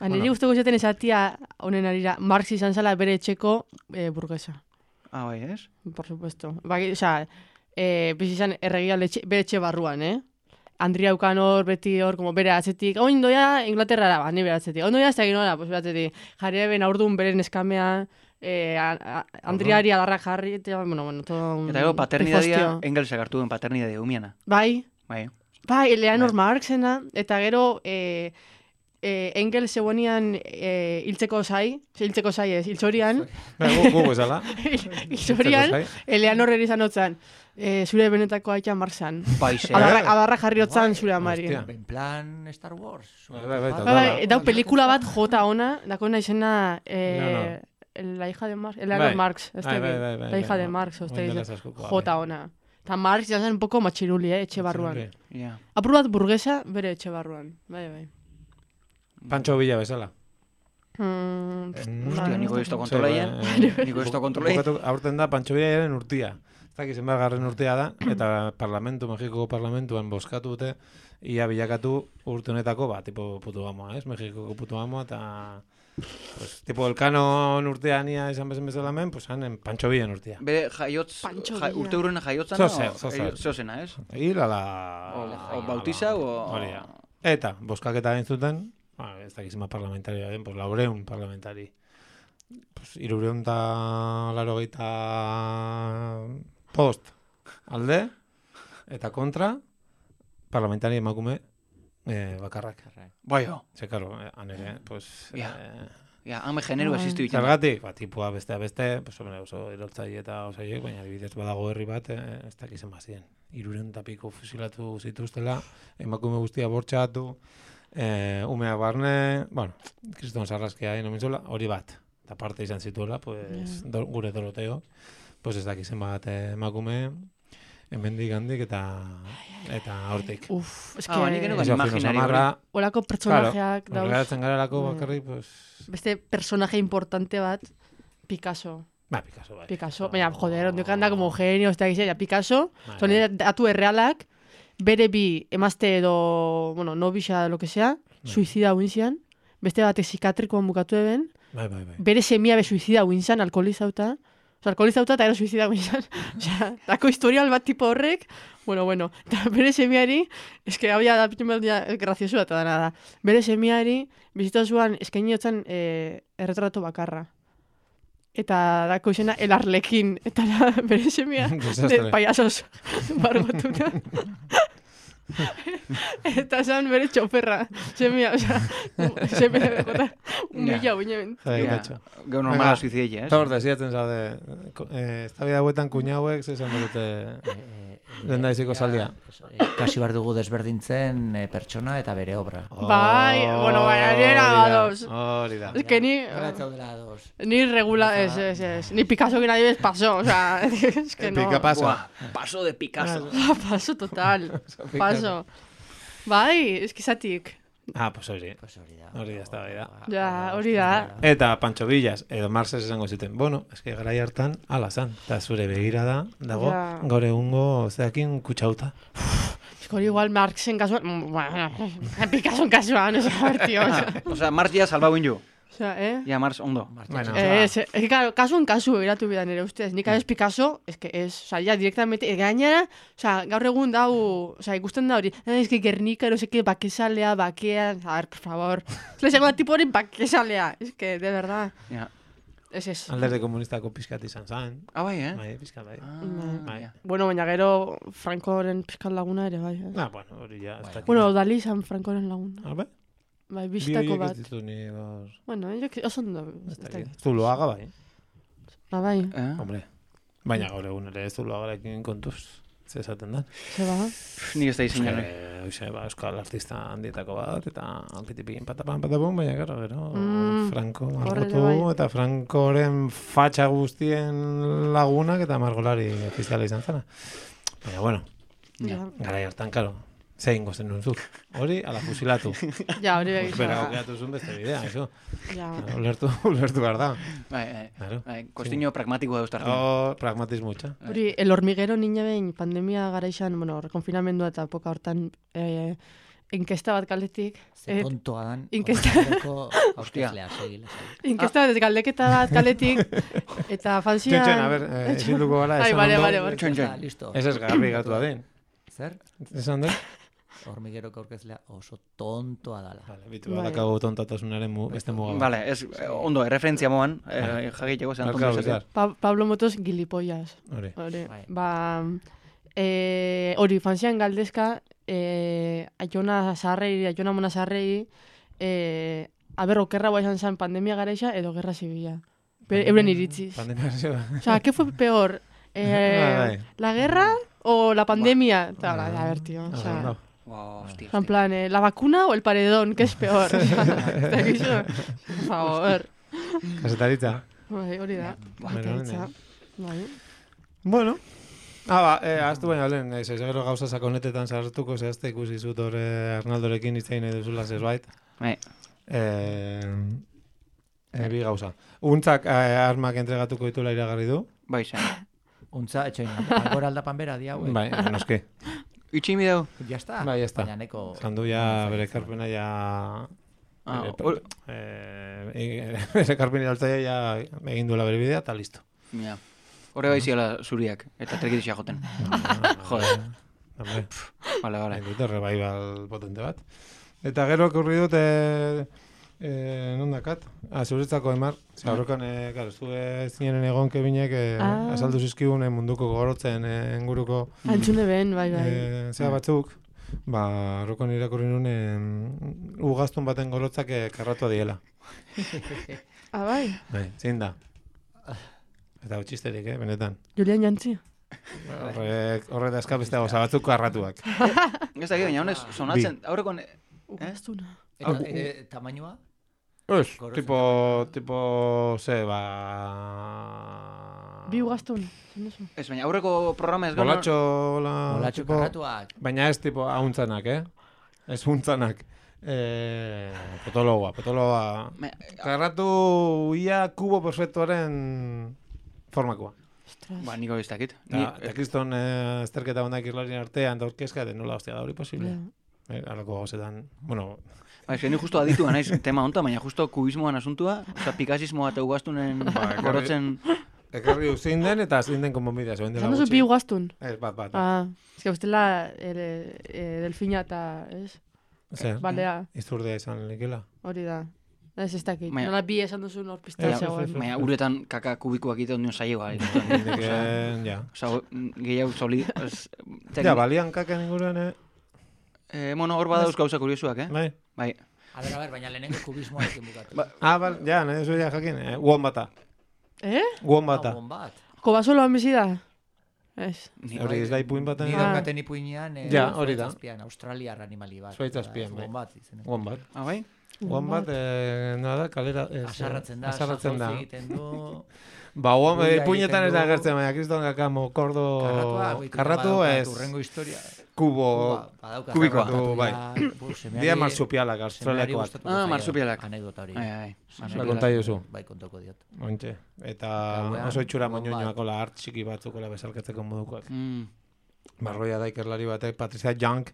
Ba, niri guztoko zaten esatia honen arira, Marx izan zala bere etxeko eh, burguesa. Ah, bai, ez? Por supuesto. Ba, o sea, eh, bizi izan erregia letxe, bere etxe barruan, eh? Andria ukan hor, beti hor, como bere atzetik, oin doia Inglaterrara, ba, ni bere atzetik. Oin doia ez da ginola, pues bere atzetik. Jarri eben aurdun bere neskamea, eh, a, a, Andriari adarrak jarri, eta, bueno, bueno, todo un Eta gero, paternidadia, pifostio. Engelsak hartu duen paternidadia umiana. Bai, Bai. bai, Eleanor Marxena, eta gero, eh, eh, Engels zegoenian eh, hiltzeko zai, hiltzeko zai ez, hiltzorian, Bai, gu- gu bezala. hiltzorian, Zai. Eleanor erizan otzan, eh, zure benetako aitea Marxan. Baixe. Adarra, adarra jarri otzan zure amari. Hostia. En plan Star Wars. Bai, bai, bai, Bai, total. bai, eta pelikula bat jota ona, dakona izena eh, No, la hija de Marx, Eleanor Bai. Marx, este, Bai, bai, bai, bai, la hija bai. de Marx, Orain este, dela dice, askokoa, jota bai. ona. Eta Marx izan zen un poco matxiruli, eh, etxe barruan. Matxiruli. Ja. Apur bat burguesa, bere etxe barruan. Bai, bai. Pancho Villa bezala. Mm, Hostia, niko esto Sí, kontrolaien. bai, eh, Niko esto kontrolaien. bukatu- aurten da Pancho Villaren urtia. Ez dakiz zenbat garren urtea da, eta parlamentu, Mexikoko parlamentuan boskatu dute, ia bilakatu urte honetako, ba, tipo putu amoa, ez? Mexikoko putu amoa, eta... Pues, tipo Elkanon urtean ia izan bezen bezala hemen, pues hanen Pancho Villan urtea. Bere jaiotz, Pancho ja, Villa. urte urrena jaiotzana, Zozer, o- zozer. eh, zozena, ez? Hil ala... O, o bautiza, o... Hori da. Eta, boskaketa egin zuten, ba, ez dakizima parlamentaria den, pues laureun parlamentari. Pues, irureun eta laro post alde, eta kontra, parlamentari emakume eh, bakarrak. Bai, jo. Ze, karo, eh, han ere, pues... Ja. Eh, Ja, hame genero Bai. existu ditzen. Zergatik, ba, tipua bestea beste, pues, hombre, oso erortzaile eta osaiek, baina adibidez badago herri bat, eh, ez dakizen bazien. Iruren eta piko fusilatu zituztela, emakume guztia bortxatu, eh, umea barne, bueno, kriston sarraskia egin omin hori bat. Eta parte izan zituela, pues, do, gure Doroteo, pues ez dakizen bat eh, emakume, hemendik handik eta eta hortik. Uf, eske, Ah, ba, nik eno Eso, imaginario fino samarra, olako pertsonajeak claro, dauz. geratzen garelako Mm. bakarrik, pues, Beste personaje importante bat, Picasso. ba, Picasso, bai. Picasso, baina, joder, ondik anda como genio, ez da gizia, Picasso, Bai, son bai. datu errealak, bere bi emazte edo, bueno, nobisa, lo que sea, suizida huinzian, beste batek psikiatrikoan bukatu eben, Bai, bai, bai. bere semia be suizida huinzan, alkoholizauta, oza, alkoholizauta eta ero suizida huinzan, oza, dako historial bat tipo horrek, bueno, bueno, eta bere semiari, eske hau ya da pitu meldia graziosu eta dana da, bere semiari, bizitazuan eskainiotzen eh, erretrato bakarra. Eta dako izena El Arlekin, eta da, bere semia, Desastre. de payasos bargotuta. Eta esan bere txoferra, semia, oza, semia dagota, un Ja. mila uinen. Bai, Ja. katxo. Gero normala suizidea, ez? Eta hor, desiatzen zaude, eh, ez da bida huetan kuñauek, zesan dute lehen daiziko saldia. Kasi bar dugu desberdintzen eh, pertsona eta bere obra. Bai, bueno, baina nera Hori da, badoz. Hori da. Es que ni, Gara etzaudela ados. ni regula, es, es, es, ni Picasso que nadie ves pasó, o sea, es que no. Pica paso. Buah, paso de Picasso. Paso total, paso. Bai, es que zatik. Ah, pues hori. Pues hori da. Hori da, ez da, hori da. Ja, hori da. Eta Pancho Villas edo Marces esango zuten. Bueno, eske garai hartan ala zan. Eta zure begirada dago Ja. gaur egungo zeakin kutsauta. Hori igual Marxen kasuan, bueno, Picasson kasuan, ez a ver, tío. Osea, Mars ja salbau inju. Osea, eh? Ja, Mars ondo. Bueno. Eh, es, es que claro, kasuen kasu eratu bidan ere ustez. Nik adez Picasso, es que es, o sea, ya directamente, e, gainera, o sea, gaur egun dau, o sea, ikusten da hori, eh, es que Gernika, no sé qué, bakesalea, bakea, a ver, por favor. Le segundo tipo hori bakesalea, es que, de verdad, Ja. es es. Alderdi komunistako pizkat izan zan. Ah, bai, eh? Bai, pizkat bai. Ah, Bai. ja. Bueno, baina gero Francoren pizkat laguna ere, bai. Eh? Ah, bueno, hori ja. ez dakit. Bueno, Dali izan Francoren laguna. Ah, bai? Bai, Bi bistako horiek bat. ez ditu ni gaur. Bueno, yo que oso ondo. Ez ez dakit. dakit. Zuloaga bai. Ah, bai, Eh? Hombre. Baina gaur egun ere zuloagarekin kontuz. Ze esaten da. ze ba. Nik ez da izan Eh, Hoxe, ba, euskal artista handietako bat, eta pitipin patapan patapun, baina gero, gero, Mm, Franco horre margotu, bai. eta Francoren fatxa guztien lagunak, eta margolari ofiziala izan zena. Baina, bueno, Ja, garai hartan, karo, zein gozen nun zuk. Hori, ala fusilatu. ja hori Pues bera begiz. aukeratu zuen beste bidea, eso. Ja. Ulertu, ulertu behar da. Bai, bai. Claro. Bai, kostiño pragmatikoa eustartzen. Oh, pragmatismo utxa. Hori, el hormiguero niña behin pandemia garaixan, bueno, konfinamendua eta poka hortan, eh, inkesta bat galdetik. Ze eh, tontoa dan. inkesta- horretarako aurkezlea, segile. Inkesta bat galdeketa bat galetik, eta fanzian... Txon, txon, a ber, eh, ezin duko gara, Ai, esan bale, ondo. bale, bale. Txon, txon. Listo. Ez ez garbi gatu da den. Zer? Esan den? Hormigueroko aurkezlea oso tontoa dala. Vale, bitu, Bai. badakagu tontatasunaren mu, beste muga bat. Vale, ez, eh, ondo, erreferentzia moan, eh, jakiteko zen Barkatu, ondo izatea. Bizar. Pa Pablo Motos gilipollas. Hori. Hori, Bai. ba... Eh, hori, fanzian galdezka, eh, aiona zaharrei, aiona mona zaharrei, eh, aber, okerra guai izan zen pandemia garaixa edo gerra zibila. Be- Euren iritziz. Pandemia zeba. O sea, ¿qué fue peor? Eh, Bai, bai. ¿La guerra o la pandemia? Ta, a ver, tío. O sea, Ondo. Wow, hostia. en plan, eh, ¿la vacuna o el paredón? ¿Qué es peor? O sea, eta gizu, por favor. Kasetaritza. Bai, hori da. Bueno, Kaitza. Bai. Bueno. Ah, ba, eh, aztu baina lehen, ez, ez gero gauza sakonetetan sartuko, zehazte ikusi zut hor Arnaldorekin hitzein nahi duzula zerbait. Bai. Eh, eh, bi gauza. Untzak eh, armak entregatuko ditula iragarri du. Bai, zen. Untza, etxoin, agora aldapan bera di hauek. Bai, noski. Itxi mi dau. Ya está. Bai, ya está. Baina neko... Zandu ja bere ekarpena ja... Ah, bere- hor- eh, eh, bere ekarpena altzaia ja egin duela bere bidea, eta listo. Ja. Horre bai ziala zuriak, eta trekitixia joten. Joder. Hombre. Vale, vale. Nahi dute revival potente bat. Eta gero okurri dut, e, e, non dakat? Ah, zuretzako emar. Zer, horrekan, e, claro, zue zinenen egon kebinek e, Ah. azaldu zizkigun e, munduko gorotzen e, inguruko Antzune ben, bai, bai. e, zera batzuk. Ba, horrekan irakurri nuen e, ugaztun baten gorotzak e, karratua diela. Ah, bai. Bai, zein da. Eta hau txisterik, eh, benetan. Julian Jantzi. Horrek, horre da eskabeste gauza batzuk karratuak. Ez da, baina honez, sonatzen, aurrekon... Ugaztuna. Eta, e, tamainua? Ez, Gorotzen tipo, tipo, ze, ba... Bi ugaztun. Zer duzu? Ez, baina aurreko programa ez gano... Bolatxo, la, Olatxo tipo, karratuak. baina ez tipo hauntzanak, eh? Ez huntzanak. Eh, potologoa, potologoa. Baina, Karratu ia kubo perfektuaren formakoa. Ostras. Ba, niko ez dakit. Eta, Ni, eta kriston eh, azterketa honak irlarien artean da orkezka, de nola hostia da hori posible. Ja. Eh, Halako gauzetan, bueno, ba, ez ni justo aditua naiz tema honta, baina justo kubismoan asuntua, oza, pikasismoa eta ugaztunen ekarri- gorotzen... ekarri du zein den eta zein den konponbidea, zein dela Esan duzu gutxi. bi ugaztun. Ez, bat, bat. Ah, ez que ustela ele, e, delfina eta, ez? Zer, Balea, izurdea izan likela. hori da. Ez ez dakit. Baina- Nola bi esan duzu nor pista Ez, ez, zegoen. ez, ez. Baina uretan kaka kubikoak ito nion saioa. Indeken, ja. Osa, gehiago soli... ez, Ja, balian kaken inguruan, eh? Eh, bueno, hor badauz gauza kuriosuak, eh? Bai. Bai. A ber, a ber, baina lehenengo kubismoarekin bukatu. Ba- Ah, bal, ja, nahi duzu ja jakin. Eh? Guon bata. Eh? Guon bata. Gabon bat. Kobasoloan bizi da? Ez. Ni- Hori ez da ipuin baten. Ni Ah. daukaten ipuinean, eh, Ja, hori da. Zuaitzazpian, australiar animali bat. Zuaitzazpian, bai. Gabon bat izeneko. Guon bat. Ah, bai? Wombat, eh, nola da, kalera... ez, Asarratzen da, asarratzen da. saltauzi egiten du... Ba, wombat, Buia puñetan ez egiten da du. agertzen, baina kriston kakamo, kordo... Karratua, goitik Karratu badaukat ez... Urrengo historia. Kubo... Badaukat, kubikoa. karratu Bai. ja, bu, semeari- Dia marsupialak, semeari australiakoak. gustatuko Ah, zaio marsupialak. Anekdota hori. Ai, ai. Ba, konta duzu. Bai, kontoko diot. Ointxe. Eta Gauean, oso itxura wombat. moñoñoakola, hart txiki batzukola bezalkatzeko modukoak. Mm. Marroia da ikerlari batek, Patricia Young,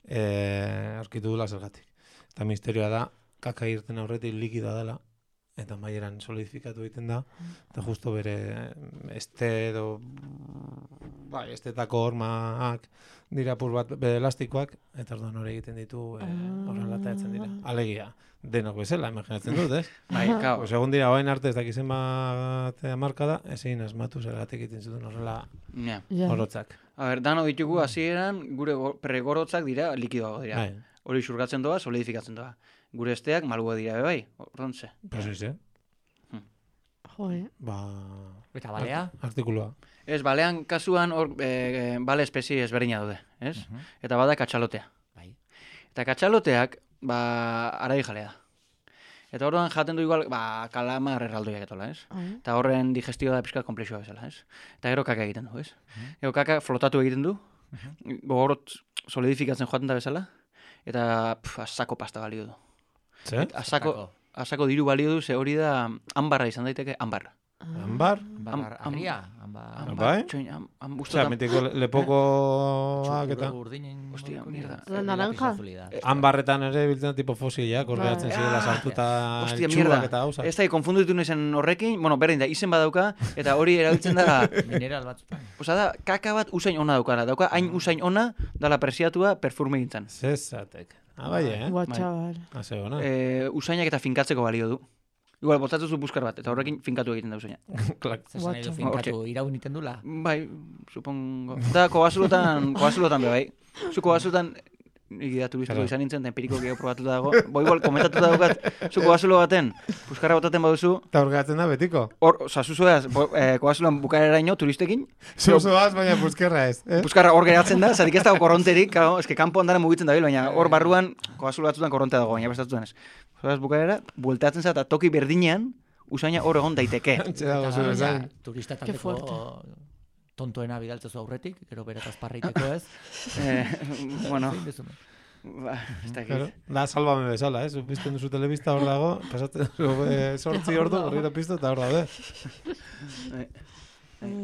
eh, aurkitu dula zergatik. Eta misterioa da, kaka irten aurretik likidoa dela, eta maieran solidifikatu egiten da, eta justo bere este edo, bai, estetako hormak dira pur bat bere elastikoak, eta orduan hori egiten ditu eh, horrela atatzen dira. Alegia, denok bezala, imaginatzen dut, ez? Bai, kao. Pues egon dira, oain arte ez dakizen bat marka da, ezin asmatu zergatik egiten zuten horrela Ja. Ja. orotzak. A ber, dano ditugu hasieran gure go- pregorotzak dira likidoago dira. Bai, Hori xurgatzen doa, solidifikatzen doa. Gure esteak malua dira be bai, ordontze. pues ez, eh? Jo, eh? Ba... Eta balea? Artikulua. Ez, balean kasuan hor e, bale espezie ezberdina daude, ez? Eta bada katxalotea. Bai. Eta katxaloteak, ba, arai jalea da. Eta orduan jaten du igual, ba, kalamar erraldoiak etola, ez? Ai. Eta horren digestioa da pixka komplexua bezala, ez? Eta gero kaka egiten du, ez? Gero kaka flotatu egiten du, gogorot solidifikatzen joaten da bezala, eta pf, asako pasta balio du. Ze? Asako, asako diru balio du, ze hori da ambarra izan daiteke, ambarra. Anbar? Ambar, am- arria, ambar. Bai? Txoin, am, am, Osea, ustotan, mitiko lepokoak eta... Urdinen... Hostia, mierda. La naranja? Anbarretan ere biltzen tipo fosilak, ordeatzen Bai. zirela sartuta hostia, txurrak mierda. eta hausak. Ez da, konfunditu naizen horrekin, bueno, berdin da, izen badauka, eta hori erabiltzen da, Mineral batzutan. oza da, kaka bat usain ona daukara, dauka hain usain ona, dala presiatua perfume gintzen. Zezatek. Ah, bai, eh? Gua, Bai. txabal. Hase ona. E, usainak eta finkatzeko balio du. Igual, botatzen zu buskar bat, eta horrekin finkatu egiten da usaina. Klak. Zesan nahi du Guatxo. finkatu, iraun iten dula. Bai, supongo. Da, koazulotan, koazulotan be bai. Zu koazulotan, nik da turistiko Claro. izan nintzen, eta empiriko gehiago probatuta dago. Bo igual, komentatuta daukat, zu koazulo baten, buskarra botaten baduzu, Eta horgatzen da betiko. hor, oza, zuzoaz, eh, koazuloan bukareraino turistekin, Zuzoaz, baina buskerra ez. Eh? buskarra hor geratzen da, zatik ez dago korronterik, claro, eske kanpo andara mugitzen dabil, baina hor barruan koazulo batzutan korrontea dago, baina prestatutzen ez. Zuzoaz bukarera, bueltatzen za, eta toki berdinean, usaina hor egon daiteke. Antxe dago Eta, zure ja, zain. turista Qué taldeko fuerte. tontoena bidaltzezu aurretik, gero beretaz parreiteko ez. Eh, bueno, Zein duzun? ba, ez dakit. Claro. Da, salvame bezala, eh? Pizten duzu telebista hor dago, pasatzen duzu eh, sortzi ordu, horrela piztu eta hor daude. Bai,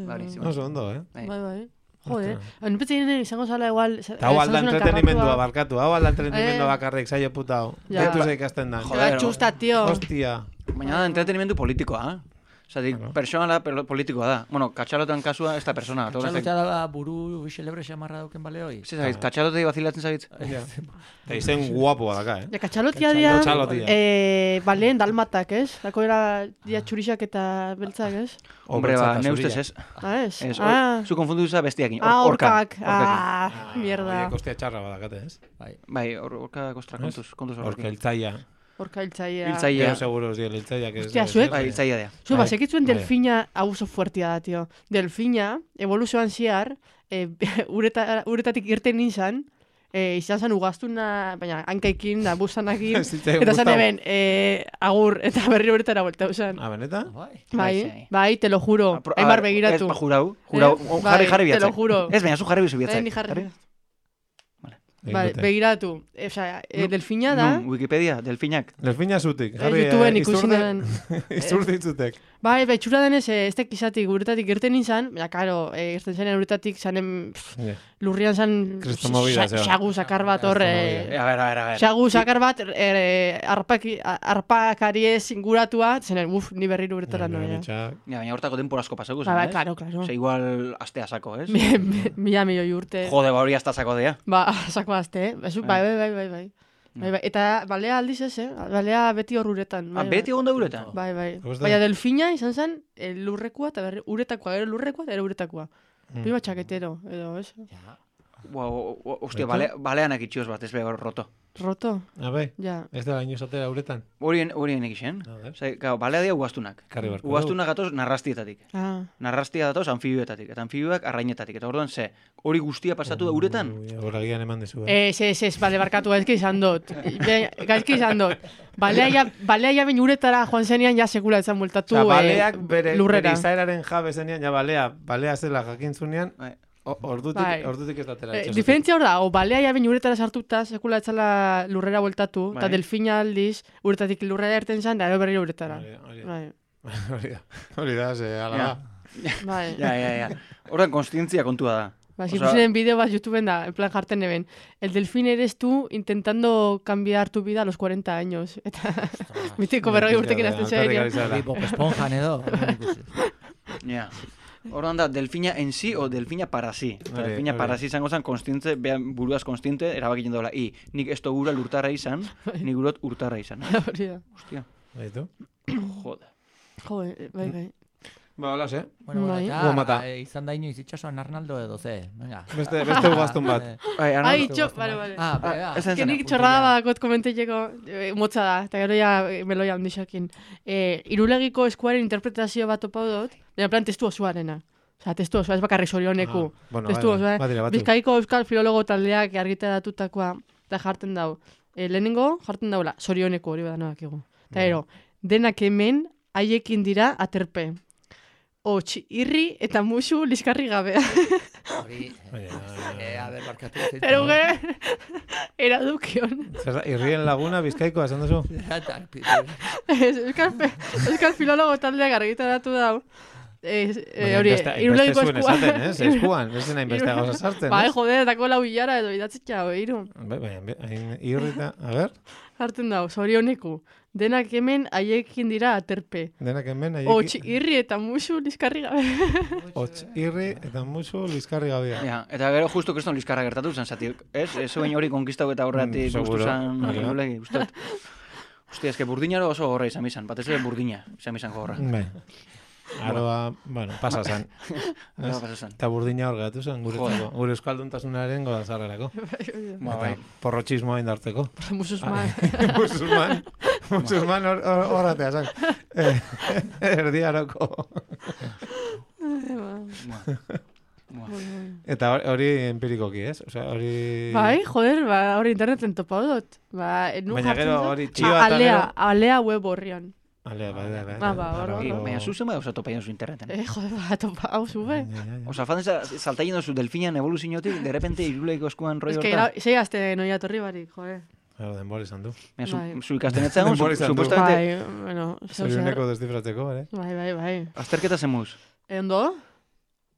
Bari, Oso ondo, eh? Bai. Bai, bai. Jode, hainpetzen izango zala igual... Eta hau alda entretenimendua, bar. barkatu, hau alda entretenimendua Eh. bakarrik, saio puta hau. Ja. Deitu ze ikasten da. Joder, Txusta, tio. Hostia. Baina da entretenimendu politikoa, eh? Osatik, Bueno. personala pero- politikoa da. Bueno, katxalotan kasua ez da persona. Txalotea da buru xelebre xamarra dauken baleoi. Zer zabit, katxalotei bazilatzen zabit? Eta izen guapoa daka, eh? Ja, katxalotia dira, Katxalotia. eh, baleen dalmatak, ez? Dako era dia txurixak eta beltzak, ez? Hombre, ba, Obertzak ne eta ustez ez. Ah, ez? Ez, ah, zu konfundu duza bestiakin. ah, Orka. orkak. Ah, mierda. Horiek ostia txarra badakate, ez? Bai. Bai, or- orka kostra, kontuz, kontuz Orka horrekin. hiltzaia. Orka hiltzaia. Hiltzaia. Yo seguro, sí, el hiltzaia. que es- Hostia, es- zuek- Bai, hiltzaia dea. Zu, Bai. basekitzuen Bai. delfina hau oso fuertia da, tio. Delfina, evoluzioan ziar, e, ureta, uretatik irten nintzen, e, izan zen ugaztuna, baina hankaikin, da buzanakin, Ez zitzaigun eta zan gustatu. eben, e, agur, eta berri uretara buelta usan. Ah, beneta? Bai. Bai, bai. bai, te lo juro. Apro- Aimar a- begiratu. Ez, ba, jurau, jurau. Eh? O, Bai, jarri, jarri te lo biatzak. juro. Ez, baina zu jarri bizu Eh, biatzak. ni jarri. Egin Bai, dute. begiratu. E, osea, e, delfina da, Nun, Wikipedia, delfinak. Delfina zutik. ez Jarri, YouTubeen eh, ikusi izurde- nuen. Izurde itzutek. Bai, bai, txura denez, eh, ez tekizatik uretatik irten nintzen, baina, karo, e, irten zenean uretatik zanen pff, Ja. lurrian zan Kristomovida, zeo. xagu sakar bat hor, Kristomovida. eh, A ver, a ver, a ver. xagu sakar bat, eh, arpaki, arpakariez inguratua, zenen, uf, ni berriro uretara Nire noia. bitxak. Ja, baina hortako denpor asko pasako Ba, zen, bai, ez? claro, claro. Ose, igual astea sako, ez? Mi- mi- Mila milioi urte. Jode, ba hori hasta sako dea. Ba, sako azte, eh? Basu, bai, bai, bai, bai, bai. Bai, bai. Eta balea aldiz ez, eh? Balea beti hor uretan. Ah, Bai, beti egon da uretan? Bai, bai. Gusta? Baina delfina izan zen eh, lurrekoa eta berri, uretakoa, gero lurrekoa eta gero uretakoa. Mm. Prima txaketero, edo, ez? Ja. Ua, ostia, bale, baleanak itxioz bat, ez behar roto. Roto? Abe, Ja. ez da gaino zatera uretan. Horien, horien egixen. Zer, gau, balea dira ugaztunak. Karri barko. Ugaztunak gatoz narrastietatik. Ah. Narrastia datoz anfibioetatik. Eta anfibioak arrainetatik. Eta orduan, ze, hori guztia pasatu da uretan? Horagian eman dezu, eh? Ez, ez, ez, bale, barkatu, gaizki izan dut. Be- Gaizki izan dut. Balea ja, balea ja bain uretara joan zenean ja sekula etzan multatu Osa, baleak eh, bere, lurrera. bere izaeraren jabe zenean, ja balea, balea zela jakin zunean, Bai. o- ordutik, Bai. ordutik ez datera. Eh, diferentzia hor da, o balea ja bain uretara sartuta, sekula etzala lurrera bueltatu, eta Bai. delfina aldiz, uretatik lurrera erten zan, da, berriro uretara. Hori da, hori da. Bai, Hori da, hori da, ze, ala Ja. da. bai. Ja, ja, ja. Horren konstientzia kontua da. Ba, si Osea- pusieron bideo bat YouTubeen da, en plan jarten eben. El delfín eres tú intentando cambiar tu vida a los cuarenta años. Eta mitiko berrogei urtekin azten serio. Hori Bob Esponjan edo. Ja. Orduan da, delfina en sí o delfina para sí. Eta Hori, delfina hori. para sí izango zen konstiente, behan buruaz konstiente, erabakiten dola. I, nik esto gura lurtarra izan, nik gurot urtarra izan. Hori da. Hostia, Baitu? jode. Jo, bai, bai. Ba, hola, ze. Bueno, bueno, Bai. eta Gomata. eh, izan da inoiz itxasoan Arnaldo edo ze. Venga. Beste, beste ugaztun bat. Eh, Bai, Ai, Arnaldo. txo, bale, bale. Ah, bega. ez zen Que nik zena. txorrada badakot komenteteko, eh, motza da, eta gero ja eh, meloia handixakin. Eh, irulegiko eskuaren interpretazio bat topau dut, baina plan testu osoarena. Osa, testu osoa, ez bakarrik sorioneku. Ah, bueno, testu bai, osoa, bai, badira batzuk. Bizkaiko euskal filologo taldeak argitaratutakoa, eta jarten dau. E, lehenengo jarten daula, sorioneku hori badanoak egu. Eta ero, denak hemen haiekin dira aterpe. Hots, irri eta musu liskarri gabea. Hori, Bai, bai, eh, a ber, barkatu. Eruge, eradukion. Zer da, irrien laguna bizkaikoa, esan duzu? Ez, euskal, fe- euskal filologo taldeak argitaratu dau. Ez, eh, Baina hori, hainbeste- hainbeste irulegiko zuen eskuan. esaten, ez? Eskuan, ez den hainbeste gauza sartzen, Bai, ez? joder, dako lau hilara edo idatzitxa, iru. Bai, bai, hainbe- hain irrita, a ber, Hartzen dau, zorioneku. Denak hemen haiekin dira aterpe. denak hemen, Hots, haieki, irri eta musu liskarri gabe. hots, irri eta musu liskarri gabea. Ja, eta gero justo kriston liskarra gertatu zen, zati, ez? Ez zuen hori konkistau eta horretik Mm, gustu seguro. zen, Hori da. irulegi, gustot. Hostia, eske burdinaro oso gorra izan bizan, batez ere burdina, izan bizan gorra. Bai. Aroa, bueno, pasa zan. Hala pasa zen. Eta burdina hor geratu zen, guretzako. Gure euskalduntasunaren godazarrerako. Ba, bai. Porrotxismoa indartzeko. Mususman. Musulman, musulman hor- hor- horratea zan. Eh, Erdiaroko. Eta hori- hori empirikoki, ez? Osea, hori... Bai, joder, ba, hori interneten topau dut. Ba, nu Baina jartzen gero dut. hori Ah, txioa eta alea, gero... alea web horrian. Ale, bai, bai, bai. Ah, ba, hor, Bai, hor, bai. Baina zuzen bai oso topaien zu interneten. Eh, joder, ba, topa, hau zube. Ja, ja, ja. Osa, fan saltaien dozu delfinan evoluziotik, de repente iruleiko eskuan roi Ez que, horta. sei azte noia torri barik, joder. Claro, denbora izan du. Baina zu, Bai. zu ikasten etzagon, Denbora izan du. supuestamente, Bai, bueno, zeu zer. Zorioneko destifratzeko, ere? Bai, bai, bai. azterketa zemuz. E, ondo?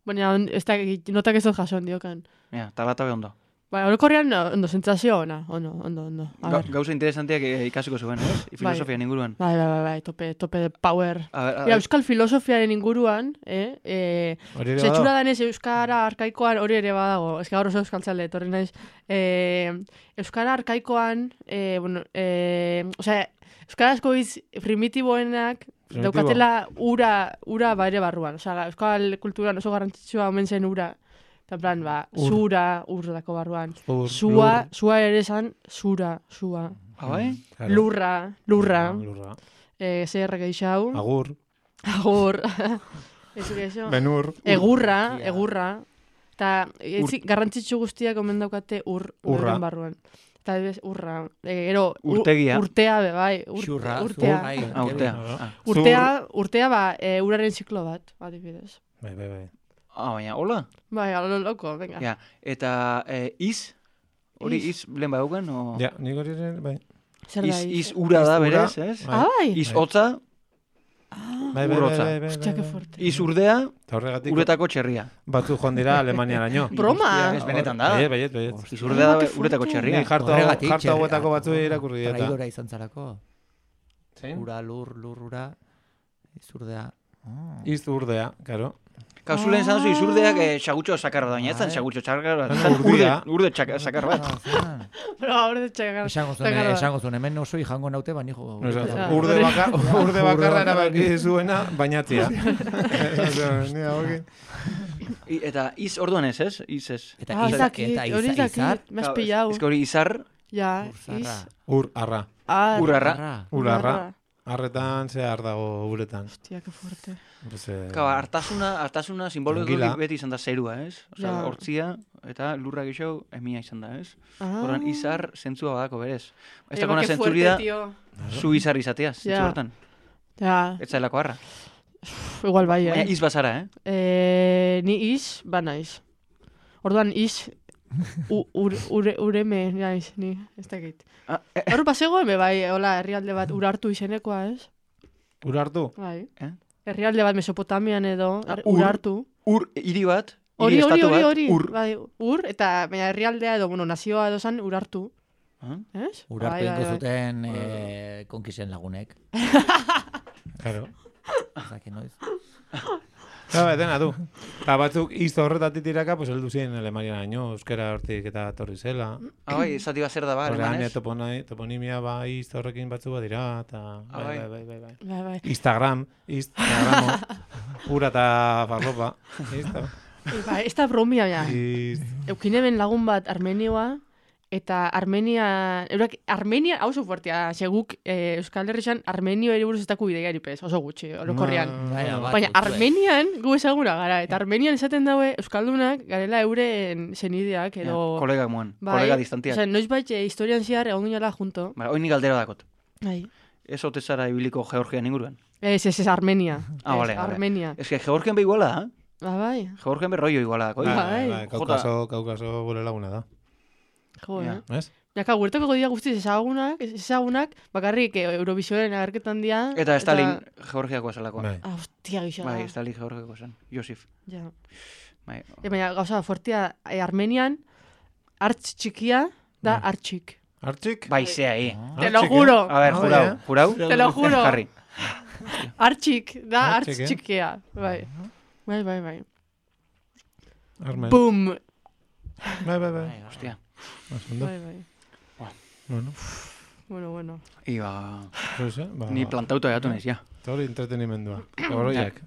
Baina, on- ez da, notak ez dut jaso diokan. Ja, talata be ondo. Bai, orokorrean ondo, sentsazio ona, ondo, ondo, ondo. A Ga, ver. gauza interesantiak eh, ikasiko zuen, ez? Filosofian inguruan. Bai, bai, bai, bai, tope, tope de power. A ver, a Mira, ver, euskal filosofiaren inguruan, eh, eh, Hori ere Zetxura badago? danez Euskara arkaikoan hori ere badago. Ez que gaur oso euskaltzale, etorri naiz. Eh, Euskara arkaikoan, eh, bueno, eh, osea, Euskarazko hitz primitiboenak Primitibo. daukatela ura, ura bare barruan. Osea, Euskal kulturan oso garrantzitsua omen zen ura. Eta en plan, ba, Ur. zura, ur dako barruan. Ur, Zua, lur. zua ere esan, zura, zua. ah, bai? Claro. Lurra, lurra. Lurra. Eh, zer geixau. Agur. Agur. Ez geixau. Benur. Egurra, egurra. Eta etzi, garrantzitsu guztiak omen daukate ur, Urra. urren barruan. Eta adibidez, urra. E, ero, ur- Urtegia. Urtea, be, bai. Ur, Xurra, urtea. bai. Ah, urtea. Claro. Ah, Urtea, urtea, ba, e, uraren ziklo bat, adibidez. Bai, bai, bai. Ah, baina, hola? Bai, alo loko, venga. Ja, eta eh, iz? Hori Iz. iz lehen badaukan, o... Ja, nik hori ere, bai. Zer da, Iz, iz iz? ura da, Iz ura. berez, ez? Ah, bai? Iz Bai. hotza, Bai, bai, Urrotza. bai, bai, bai, Hostia, que bai. fuerte. iz urdea, Eta horregatik uretako txerria. batzu joan dira Alemaniaraino. Broma! Ez benetan da. Baiet, baiet, baiet. Iz urdea da Ah, que uretako fuerte. txerria. Ni jarto, Horregatik, jarto txerria. hauetako batzu irakurri dieta. Traidora izan zarako. Zein? Ura, lur, lur, ura. Izurdea. Oh. Iz urdea, karo. Kasu lehen zan zu izurdeak eh, xagutxo sakar bat, baina ez zan Bai. xagutxo sakar bat. Baina zan Urde, urdea. urde txak- sakar bat. Ah, zean. Pero ahora de txagar. Esango zuen, txagar bat. esango zuen, hemen oso jango naute, baina jo. No, esan, Ja. urde, baka, urde bakarra Urde erabaki zuena, bainatzia. Osea, ni hauekin. I, eta iz orduan ez, ez? Iz ez. Eta Ah, ez izar, dakit, eta hori ez izar, izar, dakit, me has pillado. Ez que hori izar, Ja, Urzarra. iz. Ur, arra. Ar. urarra. Ur, arra. Arretan, ze ar dago uretan. Hostia, que fuerte. Pues, eh, Kaba, hartasuna, hartasuna simbologikoki Angila. beti izan da zerua, ez? Osa, Ja. hortzia eta lurra gixo emia izan da, ez? Ah. Horren izar zentzua badako berez. Ez Eh, dakona ba, que zentzuri fuerte, da, tío. zu izar izatea, zentzu Ja. hortan. Ja, Ez zailako harra. igual bai, Baina eh. iz bazara, eh? Eh, ni iz, ba naiz. Orduan iz, u, ur, ure, ureme naiz, ni, ez dakit. Ah, eh, Hor bazegoen, be bai, hola, herrialde bat urartu izenekoa, ez? ur hartu? Bai. Eh? Herrialde bat Mesopotamian edo, Ah, er- ur. urartu. ur hiri bat, Hori, hiri hori, estatu hori, bat, hori, ur. bai, ur, eta baina herrialdea edo, bueno, nazioa edo zan urartu, Ah? ez? Urartu Bai, bai, ingo bai. zuten eh, konkisen lagunek. Claro. Zaki noiz. Claro, dena du. Eta batzuk izto horretatik tiraka, pues heldu ziren Alemanian aino, euskera hortik eta torri zela. Ah, bai, zati bat zer da ba, Horrean, alemanez. toponai, toponimia ba izto horrekin batzu badira, eta Ah, bai, bai. bai, bai, bai, bai. Bai, bai. Instagram, Instagramo, ura eta farlopa. Insta, Bai, ez da bromia, ja. Ist, Eukinen lagun bat Armenioa, eta Armenia, eurak, Armenia, hau oso fuertea, seguk eh, Euskal Herrian Armenio ere buruz ez daku ideia eripez, oso gutxi, orokorrian. Baina, bat, Baina utzue. Armenian gu ezaguna gara, eta Armenian esaten daue Euskaldunak garela euren senideak, edo... Ja, kolega moan, bai, kolega distantiak. Osea, noiz bait, eh, historian zehar egon ginela junto. Bara, oin nik galdera dakot. Bai. Ez ote zara ibiliko Georgian inguruan. Ez, ez, ez, Armenia. Ah, Ez, vale, vale. Armenia. Ez que Georgian be iguala da, Ba, bai. Georgian be rollo iguala dako. bai, Bai. bai, Bai. bai, kaukaso, kaukaso gure laguna da. Jo, Ja. eh? Ez? Jaka, guertako dira guztiz ezagunak, ezagunak, bakarrik eh, Eurovisionen agerketan dira. Eta Stalin Georgiakoa zelakoa. Bai. Ah, hostia, gixo. Bai, Stalin Georgiakoa zen. Josif. Ja. Bai. E, baina, gauza, fuertia, e, Armenian, hartz txikia da Bai. hartxik. Hartxik? Bai, zea, eh. Te lo Hartxik, juro, A ver, Ah, jurau, ja. jurau. te lo juro. Jarri. Hartxik da Hartxik, hartz eh? txikia. Bai. Bai, bai, bai. Armen. Boom! Bai, bai, bai. Hostia. Oso ondo. Bai, bai. Bueno, Bueno, bueno. Iba... pues, eh, ba, Ni plantauta gatu naiz, ja. eta hori entretenimendua. Horoiak.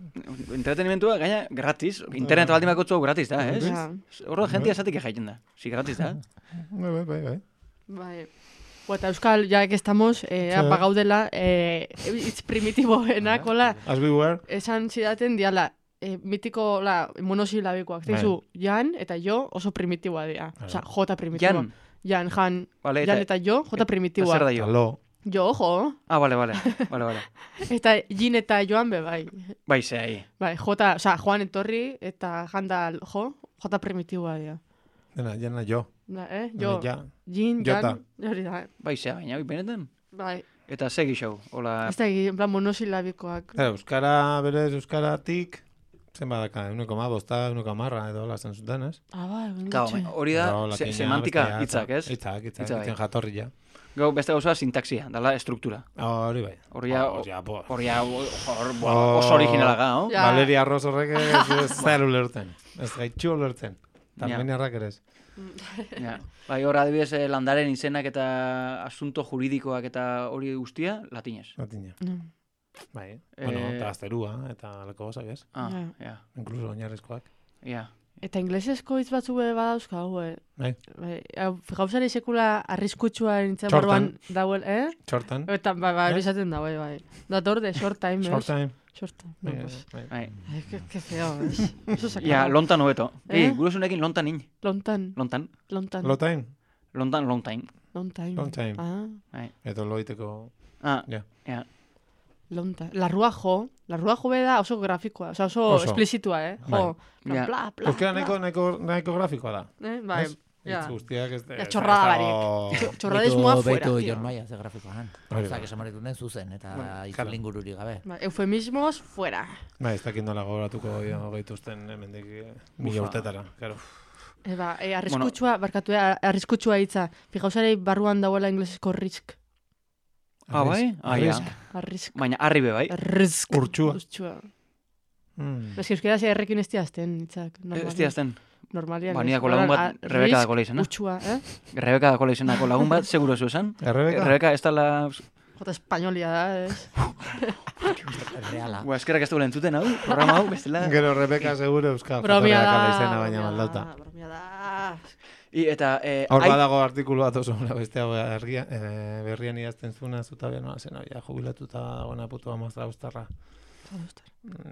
Entretenimentua, gaina, gratis. Internet baldin bakotzu hau gratis da, ez? Ja. Horro jentia esatik jaiten da. Si gratis da. Bai, bai, bai, bai. Bai. Bo, eta Euskal, ya que estamos, eh, Sí. apagaudela, eh, hitz primitiboenak, hola, As we were. esan zidaten diala, eh, mitiko, la, monosilabikoak. Bai. Zeizu, Jan eta jo oso primitiboa dira. Bai. Osa, J primitiboa. Jan. Jan, Jan, Vale, Jan eta... eta jo, J primitiboa. Zer da jo? Alo. Jo, jo. Ah, vale, vale. Vale, vale. Eta Jin eta Joan be, bai. Bai, zea, eh. Bai, J, osa, Joan etorri eta Janda, jo, J primitiboa dira. Dena, jana jo. Da, eh? Jo, Ja. Jin, Jota. Jan, hori da, eh? Bai, zea, baina, oi, benetan. Bai. Eta segi show, hola... Ez da, en plan, monosilabikoak. Claro, euskara, berez, euskaratik, zen badaka, uneko ma, bosta, uneko marra, edo hola zen zuten, ez? Ah, bai, Claro, gutxi. hori da, Gero, se- latina, semantika bestea, hitzak, ez? Hitzak, hitzak, Hitza bai. hitzen jatorria. Gau, beste gauza sintaxia, dala estruktura. Hori bai. Hori ja, Hori ja, bo. hori ja, hor, Oh. oso originala ga, no? Ja. Valeria Arroz horrek ez, ez zer ulertzen. Ez gaitxu ulertzen. Ja. Armeniarrak ere ez. Ja. Bai, hor adibidez eh, landaren izenak eta asunto juridikoak eta hori guztia, latinez. Latina. Mm. Bai, bueno, Eh, eta azterua, eta alako gozak ez. Ah, Ja. ja, Inkluso oinarrizkoak. ja. Eta inglesezko hitz batzu be badauzkagu, eh? Bai, Bai, hau, gauzari sekula arriskutsua nintzen Short barruan dauel, eh? txortan. Eta, bai, bai, Eh? hori esaten da, bai, bai. Dator de short time, Short ¿ves? time. Short time. Bai, No, pues, bai. Bai. ay, qué, qué feo, ¿ves? Eso se Ja, acaba. lontan hobeto. Eh? Eh, gurusunekin lontan in. Lontan, Lontan. lontan, Low time? Lontan, long time. long time. Long time. Ah, Eto loiteko... Ah, Ja. ja. long time. La ruajo, la ruajo be da oso grafikoa, o sea, oso, Oso. esplizitua, eh? Jo, Bai. Ja. bla, bla, Euskera bla. nahiko, nahiko, nahiko grafikoa da. Eh, bai, Ez? ja. Hitz guztiak ez... Ja, txorrada barik. Txo- Txorradismoa fuera, Beitu tío. Jon Maia ze grafikoan. Hori Osa, bai. que esan den zuzen, eta claro. itzulin gururik gabe. Bai, eufemismos fuera. Bai, ez dakit nola gogoratuko gehiago gaituzten hemendik eh, mila Ufa. urtetara. Claro. E, ba, e, arriskutsua, barkatu, eh, arriskutsua hitza. Fijausarei barruan dauela inglesezko risk. Ah, bai? Ah, ja. Arrisk. Arrisk. Baina, arri be, bai? Risk. Urtsua. Urtsua. Mm. Ez que euskera ze errekin ez diazten, hitzak. Ez diazten. Normalian. Ba, ez. niako lagun bat Orduan, a- Rebeka risk, dako izena. Urtsua, eh? Rebeka dako izenako lagun bat, seguro zu esan. Errebeka? Rebeka ez dala Jota espainolia da, ez? Reala. Ba, eskerak ez dugu entzuten, hau, programa hau, bestela. Gero Rebeka seguro euskal Bromia jatorriak da, ala izena baina bromia maldauta. da, bromia da. I, eta, eh, Hor ai- badago artikulu bat oso ona beste hau argia, eh, berrian idazten zuna zutabea nola zen, ja, jubilatuta dagoena putu amazra ustarra.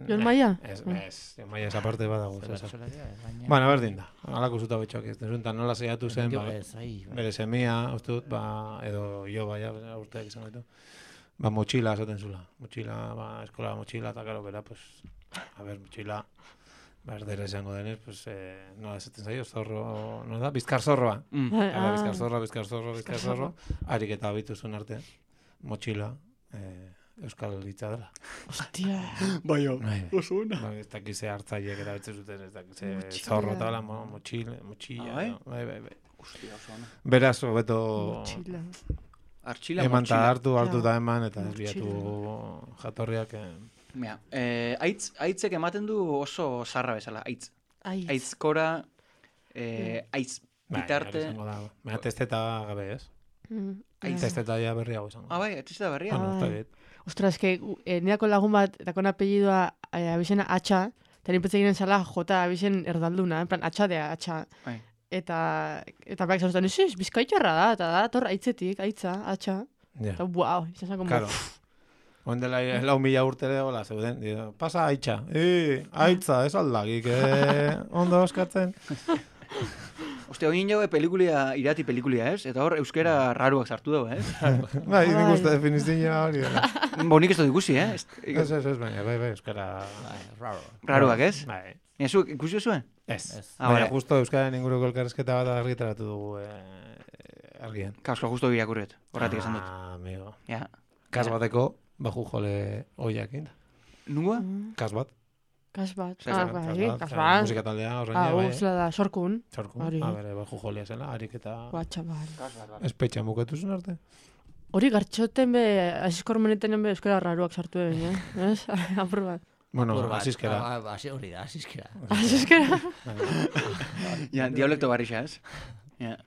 Jon Maia? Ez, ez, Jon Maia esa parte badago. Cesar. Baina... Bueno, berdin da. Halako zuta betxoak ez duzun, nola zeiatu zen, Jo, ba, ez, ai, bai. bere semia, uste dut, ba, edo jo baia, urteak izan gaitu. Ba, motxila esaten zula. Motxila, ba, eskola motxila, eta karo, bera, pues, a ver, motxila, ba, erdera esango denez, pues, eh, nola esaten zaio, zorro, no da, bizkar zorroa. Mm. Hala, bizkar zorro, bizkar zorro, bizkar zorro, harik eta abituzun arte, motxila, eh, euskal hitza dela. Hostia. Bai, Bai, oso ona. Ba, ez dakize hartzaileek erabiltzen zuten, ez dakize Motxila. zorro eta hola, mo- motxil, motxilla. Ah, bai? no? Bai, bai, bai. Hostia, oso ona. Beraz, hobeto Motxila. Artxila, eman eta motxila. hartu, hartu Ja. eta eman, eta ez Motxila. biatu jatorriak. Eh, Mira, eh, aitz, aitzek ematen du oso zarra bezala, aitz. Ai. Aitzkora, eh, aitz bai, bitarte... hori izango da. Baina testeta gabe, ez? Mm. Aitz. Testeta ja berriago izango. Ah, bai, ez da berria. Bueno, Ah. está bien. Ostras, es que eh, neako lagun bat, dakon apellidoa eh, abizena atxa, eta nipetze ginen zala jota abizen erdalduna, en plan, atxadea, atxa. Bai. Eta, eta berak zauztan, ez ez, bizkaitarra da, eta da, tor, aitzetik, aitza, atxa. Ja. Eta, buau, izan zen, como, Claro. Oen dela lau mila urtere, hola, zeuden. Digo, pasa aitza. Eh, aitza, ez aldagik, eh, ondo eskatzen. Ostia, oin jaue pelikulia, irati pelikulia, ez? Eta hor, euskera raruak sartu dago, ez? Bai, nik Bai. uste definizioa hori dela. Bo, nik ez dut ikusi, eh? Ez- Ez, ez, ez, baina, bai, bai, euskara... Bai, raro. Raruak, ez? Bai. Baina, zu, ikusi zuen? Ez. Ez. Ah, Baina, bai. justo euskaren inguruko elkarrezketa bat argitaratu dugu eh, argian. Kasko, justo birakurret, horretik esan dut. Ah, amigo. Ja. Kas Ja. bateko, baju jole oiakin. Nungoa? Kas bat. kas bat. Zer, Ah, kas bai, bat, kas eh, bat. Musika taldea horrein Ah, bai. uzela da, sorkun. Txorku. hori. Ah, bere, baju jolea zela, harik eta Guatxa, bai. espetxan bukatu zuen arte. Hori gartxoten be, asiskor meneten be euskara raruak sartu egin, eh? Ez? Apur bat. Bueno, Apur bat. asiskera. Ah, ah, hasi hori da, asiskera. Asiskera? Ja, dialekto barrixa, ez? Ja.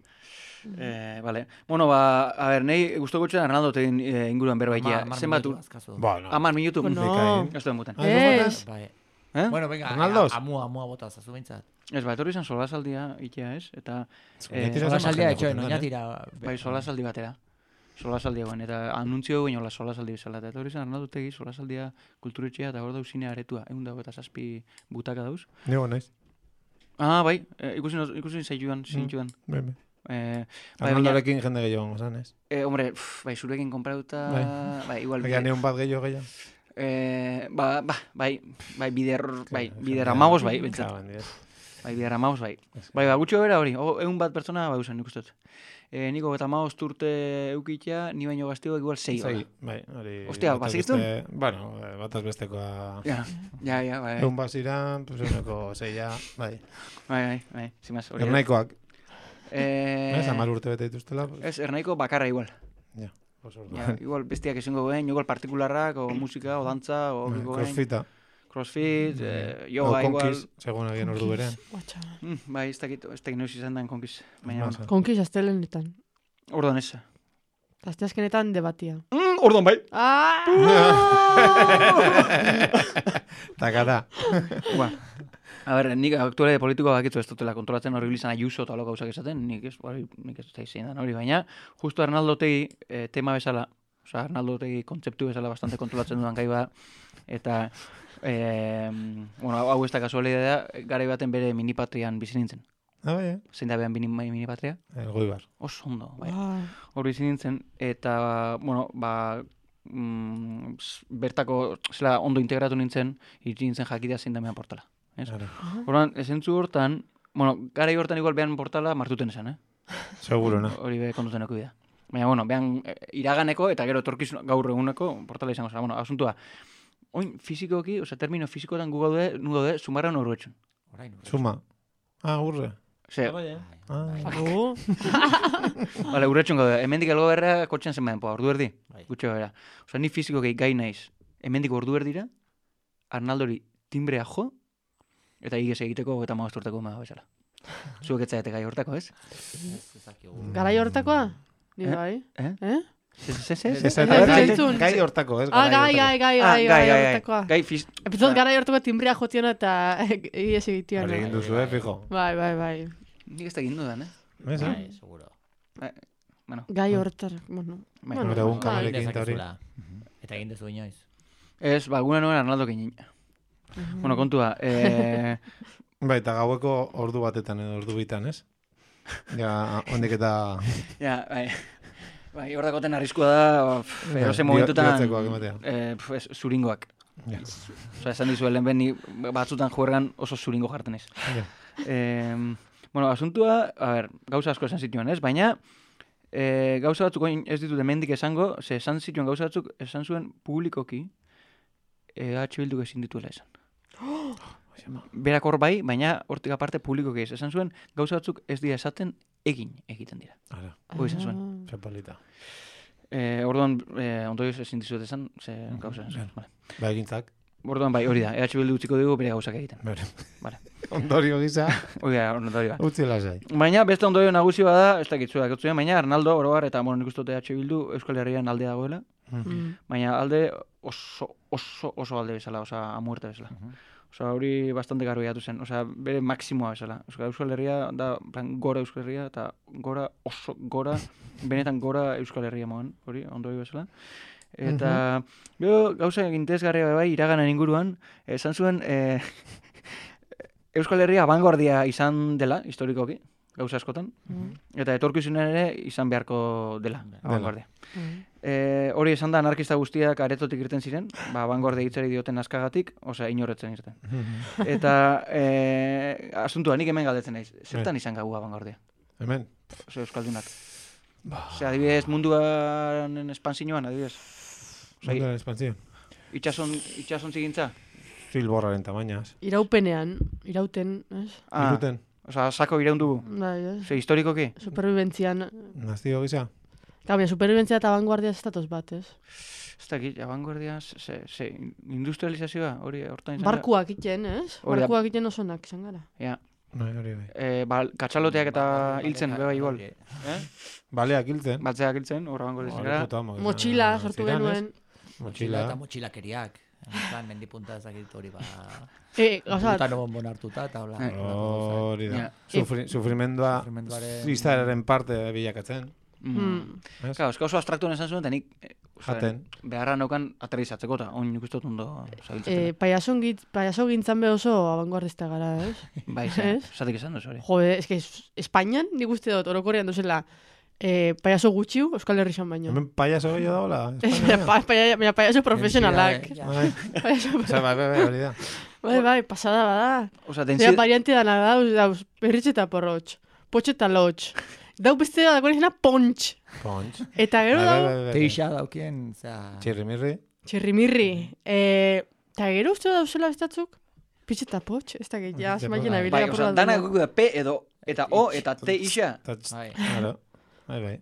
Eh, vale. Bueno, ba, a ver, nei gustoko txan Arnaldo tegin eh, inguruan berbaitia. Hamar Zenbat minutu ur... azkazu. Bueno, Amar minutu? Bueno. Bikain. Ez duen muten. Ah, ez Ez. Bai. Eh? Bueno, venga, Arnaldos? a- amua, amua bota zazu behintzat. Ez, ba, etorri izan solasaldia itea, ez? Eta, eh, Oñatira Sola zenbat saldia jende etxoen, joaten den, eh? oinatira. bai, solasaldi batera. Solasaldia guen, eta anuntzio guen hola solasaldi bezala. Eta etorri izan Arnaldo tegi solasaldia kulturetxea, eta hor dauz zine aretua. Egun dago eta zazpi butaka dauz. Nego naiz. Ah, bai, eh, ikusi, ikusi zaituan, zintuan. Bai, bai. Eh, bai, baina, Arnaldorekin jende gehiago gongo ez? eh, hombre, pff, bai, zurekin konprauta, Bai. bai, igual, Egia neun bat gehiago gehiago. eh, ba, ba, bai, bai, bider, bai, Claro, bider jendea- amabos, bai, bentsat. Claro, handiez. Bai, bider amabos, bai. Bai, ba, gutxo bera hori, o, egun bat pertsona, bai, usan, nik uste dut. Eh, niko eta amabos urte eukitea, ni baino gazteo igual sei, Sei, bai, hori... Ostia, bataz bazikiztun? beste- Bueno, eh, bataz bestekoa... Ja, ja, ja, bai, Egun baziran, pues eguneko zeia, bai. bai, bai, bai, zimaz, hori. Ernaikoak, Eh, ez, amar urte bete dituztela, pues, ez, ernaiko bakarra igual. pues Ja, orduan. igual bestiak ezingo guen, igual partikularrak, o musika, o dantza, o... Bai, kiko guen. Crossfita, Crossfit, eh, o yoga, igual... konkiz, segun egin ordu berean. Guatxa. Mm, bai, ez dakit, ez dakit noiz izan den konkiz. Baina, Masa. bueno. Konkiz astelenetan. Orduan ez. Asteazkenetan debatia. Mm, orduan bai. Ah! Takata. Ba. A ber, nik aktuale politikoa bakitzu ez dutela kontrolatzen hori bilizan Ayuso eta hola gauzak esaten, nik ez, hori, nik ez dut zein hori, baina, justo Arnaldo tegi eh, tema bezala, oza, Arnaldo tegi kontzeptu bezala bastante kontrolatzen dudan gai bada, eta, eh, bueno, hau ez da kasualidadea, garai baten bere minipatrian bizi nintzen. Ah, bai, eh? Zein da behan mini, minipatria? El goibar. Oso ondo, bai. Ah, Hor bizi nintzen, eta, bueno, ba, mm, s- bertako, zela, ondo integratu nintzen, iritsi nintzen jakidea zein da mehan portala. Ez? Claro. Horban, esentzu hortan, bueno, garai hortan igual behan portala martuten esan, eh? Seguro, no? Hori be kontuten eko bida. Baina, bueno, behan eh, iraganeko eta gero etorkizun gaur eguneko portala izango zela. Bueno, asuntua, oin fizikoki, oza, termino fizikotan gu gaude, nu gaude, sumarra norruetxun. Orain. urre. Suma. Ah, urre. Ze, Ah, agu. bale, urretxun gaude, hemendik elgo berra kotxean zenbaden, po, ordu erdi, Bai. gutxo bera. Oza, ni fizikoki gai naiz, hemendik ordu erdira, Arnaldori timbrea jo, eta igez egiteko eta magasturteko ema bezala. Zuek etzaete gai hortako, ez? Ez, ez dakigu. Garai hortakoa? Ni Eh? bai. Eh? Eh? Ze, ze, ze, Ez, ze? ez, ez, gai- entzun. gai hortako, ez? Ah, gai, gai, gai, gai, gai, gai, hortakoa. gai, fiz... Epizot gara hortako timbria jotiona eta egies egitiona. Hori egin duzu, eh, fijo. Bai, bai, bai. Nik ez da egin dudan, eh? Ez, eh? Bai, seguro. Bueno, Gai hortar, bueno. Bai. bueno, Gure egun bai. kamalekin eta hori. Dezakezula. Eta egin duzu inoiz. ez, ba, guna nuen Arnaldo kinin. Bueno, kontua, eh... Bai, eta gaueko ordu batetan edo ordu bitan, ez? Ja, ondik eta... Ja, bai. Bai, hor dakoten arriskua da, pff, eroze momentutan... Bihotzekoak ematea. Eh, pff, ez, zuringoak. Ja. Osa, esan dizu, lehen ni batzutan juergan oso zuringo jarten ez. Ja. Eh, bueno, asuntua, a ber, gauza asko esan zituen, ez? Baina, eh, gauza batzuk orain ez ditut hemendik esango, ze esan zituen gauza batzuk esan zuen publikoki, eh, H Bilduk ezin dituela esan. Berak hor bai, baina hortik aparte publikoki ez. Esan zuen gauza batzuk ez dira esaten egin egiten dira. Ara, Hoi esan zuen. Ah. txapalita. Eh, orduan, eh, ondorioz ezin dizuet esan, ze gauza esan zuen. Vale. Ba, egintzak. Orduan bai, hori da, E H Bildu utziko dugu bere gauzak egiten. Bere. Vale. Ondorio gisa, Hori da, ondorioa. utzi lasai. Baina beste ondorio nagusi bada, ez dakit zuek etzuen, baina Arnaldo oroar eta bueno, nik uste dut E H Bildu Euskal Herrian alde dagoela, Mm. baina alde oso oso oso alde bezala, osea, a muerte bezala. Osea, hori bastante garbi gatu zen, osea, bere maksimoa bezala. Osea, Euskal Herria da, plan, gora Euskal Herria eta gora oso gora, benetan gora Euskal Herria moan, hori, ondorio bezala. Eta, jo, gauza interesgarria bai, iraganan inguruan, esan zuen, eh, Euskal Herria abangoardia izan dela, historikoki, gauza askotan, eta etorkizunean ere izan beharko dela, abangoardia. Mm. E, hori esan da anarkista guztiak aretotik irten ziren, ba, abangoardia hitzari dioten askagatik, osea, inorretzen irten. Eta e, asuntua, nik hemen galdetzen naiz, zertan izan gau abangoardia? Hemen. Osea, euskaldunak. Osea, adibidez, munduaren espansioan, adibidez. Osea, Munduaren espantzio. itxason, itxason zigintza? Zilborraren tamainaz. Iraupenean, irauten, ez? Ah, Iruten. osea, sako iraun dugu. Bai, ez? Osea, historikoki? Superviventzian. Nazio gisa. Gabe, superviventzia eta abanguardia ez datoz bat, ez? Ez dakit, abangoardia, ze, ze, industrializazioa, hori hortan izan da? Barkuak iten, ez? Hori da. Barkuak iten osonak izan gara. Ja. Bai, hori bai. E, ba, katxaloteak eta hiltzen, beba igual. Hori, Eh? Baleak hiltzen. Batzeak hiltzen, hor abangoardia izan Hori gara. puta amo, izan, Motxila eh, sortu ziren, ez? genuen. Motxila Motxila. eta motxilakeriak. Plan, mendipunta ezakit hori ba... E, gauza, Puta no bonbon hartuta eta hola. Eh. Hori da. Ja. Sufri, sufrimendua Sufrimenduaren- izaeraren parte bilakatzen. Mm. Ez? Claro, eska oso abstraktuen esan zuen, eta nik eh, osea, Jaten. beharra naukan aterrizatzeko, eta oin nik uste dut ondo zabiltzatzen. e, payason git, payaso gintzan be oso abanguardista gara, ez? bai, ze, ez? zatik esan duz, hori. Jode, eske Espainian nik uste dut orokorrean duzela e, payaso gutxiu Euskal Herri xan baino. Hemen payaso gehiago daola. Baina pa, pa, pa, payaso profesionalak. Ja, Bai. Payaso, Osea, bai, bai, bai, hori da. bai, bai, pasada bada. Osea, Zera densi... variante dana dauz, dauz, berritxe eta porrotx, potxe eta lotx. Dau beste da dagoen izena pontx. Pontx. Eta gero Bai, dau, bai, bai, bai. Teixa daukien, zera... Txirrimirri. txirrimirri. E, eta gero uste dauzela bestatzuk, pitxe eta potx, ez da gehi, ja, Pitxe zemaien bai. abila Bai, osea, dana gugu da P edo, eta O, eta T isa. Tats- Bai. Claro. Bai, bai.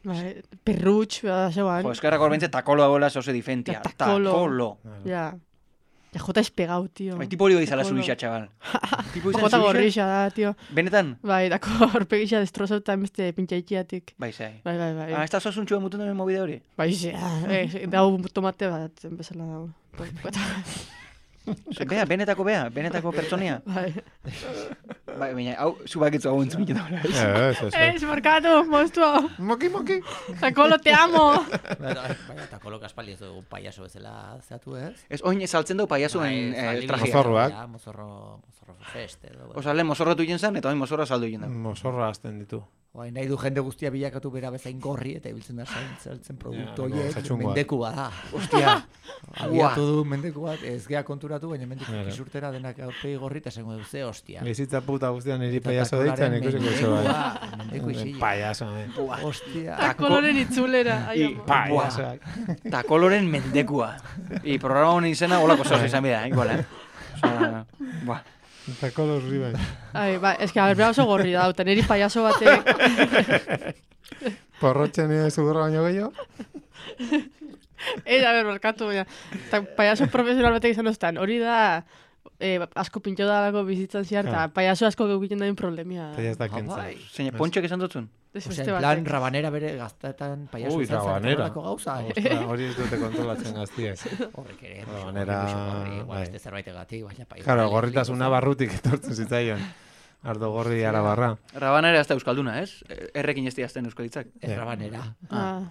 Bai, perrutx, bada zeuan. Jo, eskerrak hor bentze takolo dagoela zehose difentia. Ja, takolo. Takolo. Ja. Ja, jota espegau, tio. Bai, tipo hori izala Takolo. zubixa, txabal. Tipo izan Jota zubixa? gorrixa da, tio. Benetan? Bai, dako horpegixa destrozauta beste pintxaitxiatik. Bai, zai. Bai, bai, bai. Ah, ez da zasuntxua mutun duen mobide hori? Bai, ze, eh, dau tomate bat, bezala dago. Ose, bea, benetako bea, benetako pertsonia. Bai. Bai, baina, hau, zu bakitzu hau entzun da. Ez, ez, ez. Ez, markatu, monstruo. Moki, moki. Takolo, te amo. Baina, eta kolok aspaldi ez dugu payaso bezala zeatu ez? Ez, oin saltzen dugu paiasuen Bai, eh, zaldi trajea. Mozorroak. Ja, mozorro, mozorro fest edo. Osa, lehen mozorrotu jen zen, eta oin mozorra saldu jen da. Mozorra azten ditu. Oain nahi du jende guztia bilakatu bera bezain gorri eta ibiltzen da zain saltzen produktu Ja, horiek zatxungoak. mendeku bada. Ostia. Abiatu du mendeku bat, ez gea konturatu, baina mendeku Claro. kisurtera denak aurpegi gorri eta esango du ze hostia. Bizitza puta guztian niri Eta payaso takolaren deitzen ikusiko iso bai. mendekua, mendeku isila. Payaso, eh. Hostia. Takoloren itzulera. Ai, I- amo. Payasoak. Takoloren mendekua. I programa honen izena, holako zoz izan bida, igual, eh? Osa, buah. Eta kolos ribai. Ai, bai, eske, a ber, bera oso gorri da, eta niri payaso batek... Porrotxen nire zugurra baino gehiago. Ez, a ber, markatu, baina, ta, payaso profesional batek izan oztan, hori da, eh, asko pintxo dalako bizitzan ziar, eta Ja. payaso asko geukiten dain problemia. Eta ya ez da Ah, kentza. bai. Zein, pontxoak esan dutzun? Ez Osea, beste en plan, batek. rabanera bere gaztetan payaso Ui, izan zen rabanera. horrelako gauza. eh? Ostra, hori ez dute kontrolatzen gaztiek. Horrek ere. Rabanera, Igual bai. beste zerbaitegatik, baina payaso. Claro, gorritasuna barrutik etortzen zitzaion. Ardo gorri arabarra. Rabanera ez da euskalduna, ez? Errekin ez diazten euskalitzak. Ez rabanera. Ah.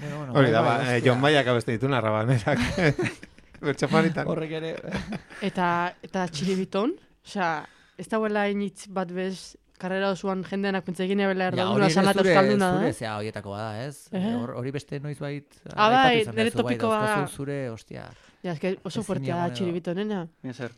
Bueno, bueno, Hori da, bai, ba, bai, eh, hostia. Jon Maiak abeste dituna rabanerak. Bertxafaritan. Horrek ere. Eta, eta txiribiton, osea, ez dauela initz bat bez, karrera osoan jendeanak pentsa egin ebela Ja, erdalduna, hori ere sanat zure, euskalduna, zure da? zea horietako bada, ez? Eh? Hor- Hori beste noiz bait. Ah, bai, aipatu izan nire duzu, bai, topikoa da. dauzkazu Zure, ostia. Ja, eske oso Ezin fuertea da egon edo. txiribitonena. Mira zer.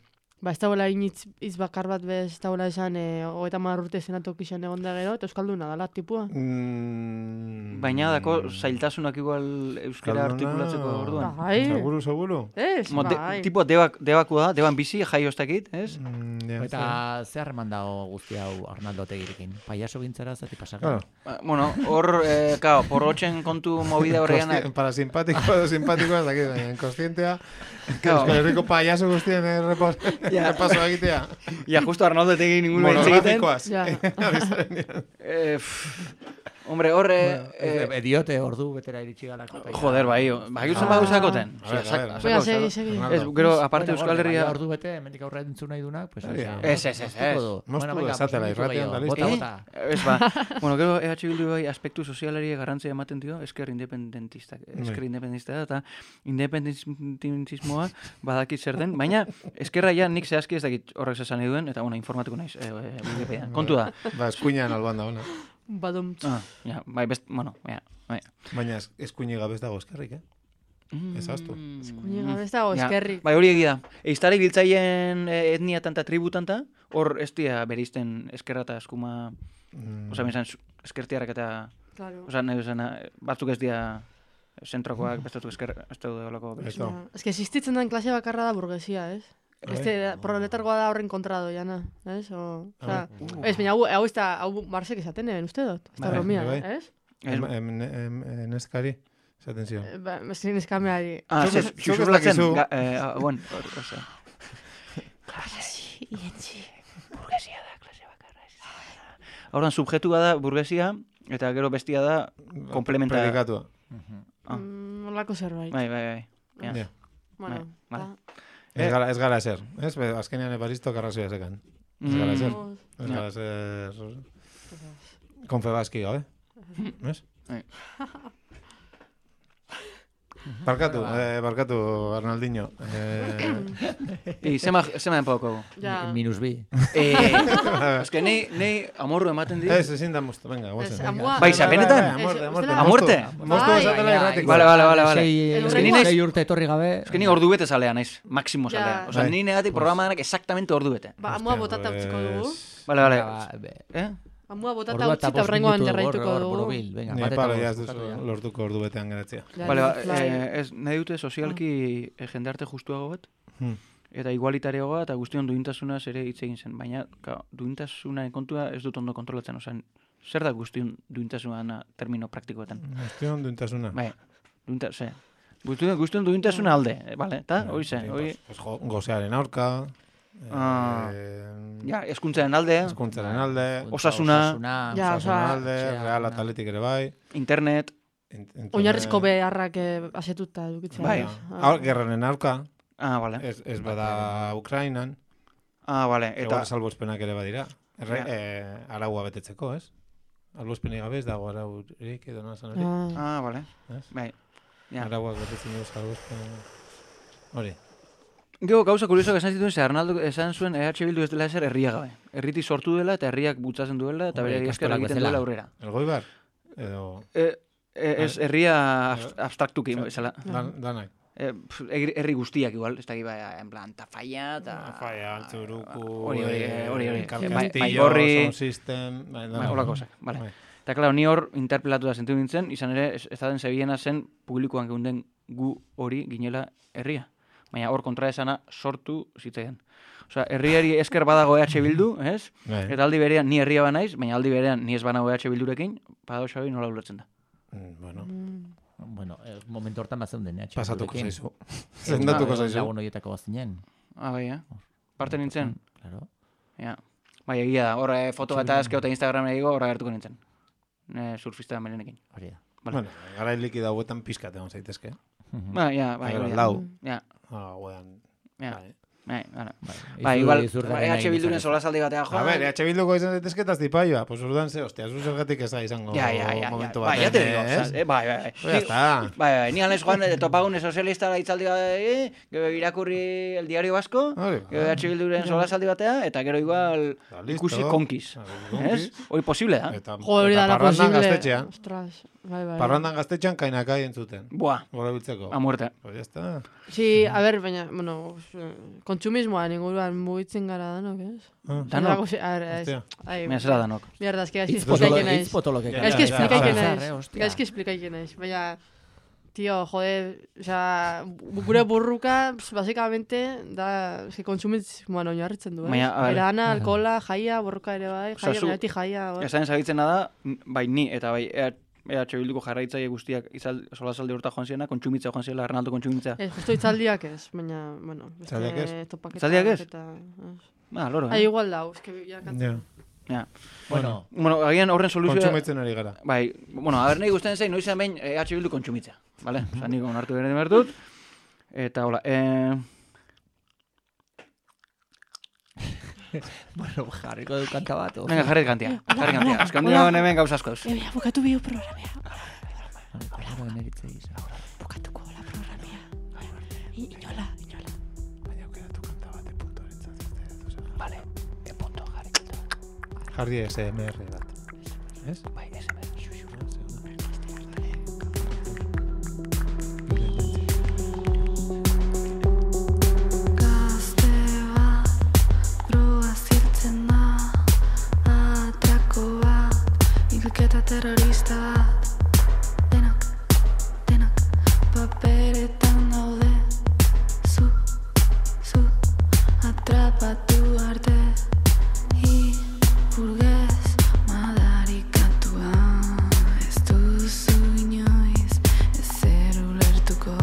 Ba, ez dauela initz iz bakar bat bez, ez dauela esan, eh, hogeita hamar urte senatok izan egon da gero, eta euskalduna dala, tipua. Mm, Baina dako zailtasunak igual euskara Euskalduna- artikulatzeko orduan. Bai, Seguru, seguru. ez, Mo, de, bai. tipo debak, debaku da, deban bizi, jaio ez dakit, ez? Mm, ja, Eta ze harreman dago guzti hau Arnaldo Otegirekin? Payaso gintzara zati pasaka? Claro. Ba, Bueno, hor, eh, kao, porrotxen kontu movida horreanak. Kosti- Parasimpatiko edo simpatikoa, ez dakit, baina inkostientea. Claro. Euskal Herriko payaso guztien errepas- errepaso egitea. Ja, justo Arnaldo egin ningun hitz egiten. Monografikoaz. Ja. Ari zarenean. Eh, pff, hombre, hor, eh, eh, Eh, Diote ordu betera iritsi galako. joder, bai, bai, uzen badu zakoten. A ver, a ver, a ver. Venga, segi, segi. Ronaldo. Ez, gero, aparte Bueno, Euskal gorde, Herria... baina ordu bete, hemendik aurre entzun nahi dunak, pues, Hori da. Ez, ez, ez, ez. Moztu venga, esatela pues, irratian, gehiago, da listo. Bota, Eh? bota. Ez ba, bueno, gero E H Bildu bai aspektu sozialari garrantzia ematen dio, esker independentistak, esker Bai. independentista da, eta independentismoa badakit zer den, baina eskerra ja nik zehazki ez dakit horrek esan nahi duen, eta bueno, informatuko naiz, e, e, Wikipedian. Kontu da. Ba, eskuinean alban da, ona. Badum. Ah, ja, bai, best, bueno, ja, bai. Baina es- eskuine gabe ez dago eskerrik, eh? Ez ahaztu. Kuñi gabe ez dago Ja, eskerrik. Bai, hori egia da. Eiztarik biltzaien eh, etniatan eta tributanta, hor ez dira berizten eskerra eta eskuma, Mm, oza, bizan, eskertiarrak eta, Claro. oza, nahi bezan, batzuk ez dira zentrokoak, bestatuk esker, ez daude holako Ez berizten. dago. Ja. Ez que existitzen den klase bakarra da burguesia, ez? Bai. Este proletargoa da horren kontra doiana, ez? O, A osea, ez, baina hau, hau ez da, hau Marsek esaten eben, uste dut? Ez da Bai, bromia, bai. ez? Ez- Em- em- em- em- Neskari, esaten zion. Eh, Ba, ezin eskameari. Ah, Zuk ze, ez- zuk ez xuxurlatzen, dakizu. ga- eh, ah, bueno, hor, oza. Burguesia da, klase bakarra. Horren, subjetua da burguesia, eta gero bestia da komplementa. Predikatua. Ah. Mm, Olako zerbait. Bai, bai, bai. Ja. Ja. Bueno, Bai, ta- Ez gara, ez gara ezer, ez? Be, azkenean ebaristo karrazioa zekan. Ez gara ezer. Oh, Ez Ja. gara ezer... Konfebaski gabe. Ez? Bai. Barkatu, eh, barkatu, Arnaldinho. Eh, I, zema, zema enpauko. Ja. Minus bi. Eh, ez que nei, nei amorru ematen dit. ez, ezin da moztu, venga, Ez, guazen. amua- Bai, zapenetan? Bai, amorte, Ez, amorte. ustela- Amorte? Moztu Bai. esatela Baina, irratiko. Vale, vale, vale, vale. Sei, El sei- urrengo- sei urte etorri gabe. Ez que ni ordu bete zalea naiz, maksimo Ja. zalea. Osa, Bai. ni negatik programa denak exactamente ordu bete. Ba, amua Hostia, botata utziko dugu. pues, Vale, vale. Ba, be- Eh? Amua botata Ordua utzi eta eta bost horrengoan minutu jarraituko hor- hor dugu. borobil, venga, Ni bat eta palo, bost, ja ez bukatu duzu ja. lortuko ordu betean geratzea. Ja, Vale, ba, fly. eh, ez, nahi dute sozialki eh, jendarte justuago bat, Hmm. eta igualitareagoa eta guztion duintasunaz ere hitz egin zen. Baina, ka, duintasunaren kontua ez dut ondo kontrolatzen. Osa, zer da guztion duintasuna termino praktikoetan? Guztion duintasuna. Bai, duinta, ze. Guztion, guztion duintasuna alde, eh, bale, eta, hori ze, hori... Pues, jo- gozearen aurka. Ah. eh, Ja, eskuntzaren alde, Hezkuntzaren alde. Osasuna. Ja, Osasuna osea, alde, etxea, real ona. ataletik ere bai. internet, in- internet- Oinarrizko beharrak eh, asetuta edukitzea. Bai. ez? Aur, gerraren aurka, ah, bale, ez, ez bada Ukrainan, ah, bale, eta eta... salbospenak ere badira. Erre, Ja. eh, araua betetzeko, ez? Albospenik gabe ez dago araurik edo nazan hori. Ah, Ah, bale, Ez? bai. Ja. Arauak betetzen dugu salbospen. Hori. Gero, gauza kuriosoak esan zituen, ze Arnaldo esan zuen E H Bildu ez dela ezer herria gabe. Herriti sortu dela eta herriak bultzatzen duela eta Hombre, bere esker ikastolak egiten bezala. duela aurrera. Elgoibar? Edo... E, e, ez herria abst- abstraktuki, bezala. Dan, danak. E, pf, egri- herri guztiak igual, ez dakit bai, en plan, Tafalla, eta... Faia, Altzuruku, Hori, hori, eh, hori, hori. Bai- Bai- Castillo, Baigorri. Sound System, bai, Bai, danak. holako gauzak, bale. Bai. Eta, klaro, ni hor interpelatu da zentu nintzen, izan ere, ez, ez da den zebiena zen publikoan geunden gu hori ginela herria. Baina hor kontraesana sortu zitzaidan. Osea, herriari esker badago E H Bildu, ez? Bai. Eta aldi berean ni herria banaiz, baina aldi berean ni ez banago E H Bildurekin, paradoxa hori nola ulertzen da. Mm, Bueno, Bueno, eh, momentu hortan bat zeuden, eh? pasatuko txapulekin. zaizu. Zendatuko Ah, zaizu. Lagun horietako bazinen. Ah, bai, eh? Parte nintzen? Claro. Ja. Bai, egia da, horre foto eta ezkeo eta Instagram egigo horra gertuko nintzen. Ne, surfista melenekin. Hori da. Bueno, gara likida huetan pizkat egon zaitezke. Ba, ja, bai, hori da. Lau. Ja. Ah, huean. Ja. Bai. Bai, bueno. Bai, igual, izurgaren E H Bilduren egin solasaldi batea joan. A ver, E H Bilduko izan zaitezke eta zipaioa. Pues urdan ze, hostia, zu zergatik ez da izango Ja, ja, ja, momentu ja. bat. Bai, ya te digo, eh, bai, bai. Ya está. Bai, bai, ni anez joan de topagune sozialista itzaldi eh, gero irakurri el diario vasco, gero E H Bilduren solasaldi batea, eta gero igual ikusi konkiz. Ez? Hori posible da. Jo, hori da la posible. Gaztetxean. Ostras, bai, bai. Parrandan gaztetxean kainakai entzuten. Buah. Gora biltzeko. A muerte. Pues ya está. Sí, a ver, baina, bueno, kontsumismoan inguruan mugitzen gara danok, ez? Danok? A ver, ez. Mira, zera danok. Mierda, es que gaizki Hitz potolo- esplikaike naiz. hitz potoloke Gaizki Ja, esplikaike ja, ja. naiz. Ja, hostia. Gaizki esplikaike naiz. Baina, tío, joder, o sea, gure burruka, pues, básicamente, da, es que kontsumismoan oinarritzen du, eh? Baina, a ver. Erana, alkohola, jaia, borroka ere bai, Osea, jaia, zu- beti jaia, bai. Esaten zabitzena da, bai ni eta bai E H Bilduko jarraitzaile guztiak izal, solasaldi urta joan ziena, kontsumitza joan ziela, Arnaldo kontsumitza. Ez, justo itzaldiak ez, baina, bueno, beste Itzaldiak ez? topaketak Itzaldiak ez? eta, ez. Ah, loro, Ah, eh? igual da, eske ja kantzen. Ja. Bueno. Bueno, agian horren soluzioa... Kontsumitzen ari gara. Bai, bueno, a ber, nahi guztien zein, noiz behin E H Bildu kontsumitza. Vale? Osa, niko onartu beren bertut. Eta, hola, eh... Bueno, jarriko du kanta bat. o? Venga, jarri kantia, jarri kantia. Azkan dira hemen gauza asko eus. Ea, bukatu bihu programea. Hola, emeritze izan. Bukatuko la programea. I- Inola, inola. Baina aukeratu kanta bat de puntorentzat. Vale, de punto, jarri kanta bat. Jarri S M R bat. Ez? Bai, S M R. Gazte bat, droga ziltzen da, atrako bat, hilketa terrorista bat, denok, denok, paperetan daude, zu, zu, atrapatu arte, burgez madarikatua, ez duzu inoiz, ezer ulertuko,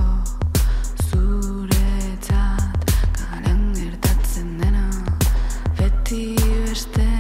zuretzat karan gertatzen dena, beti beste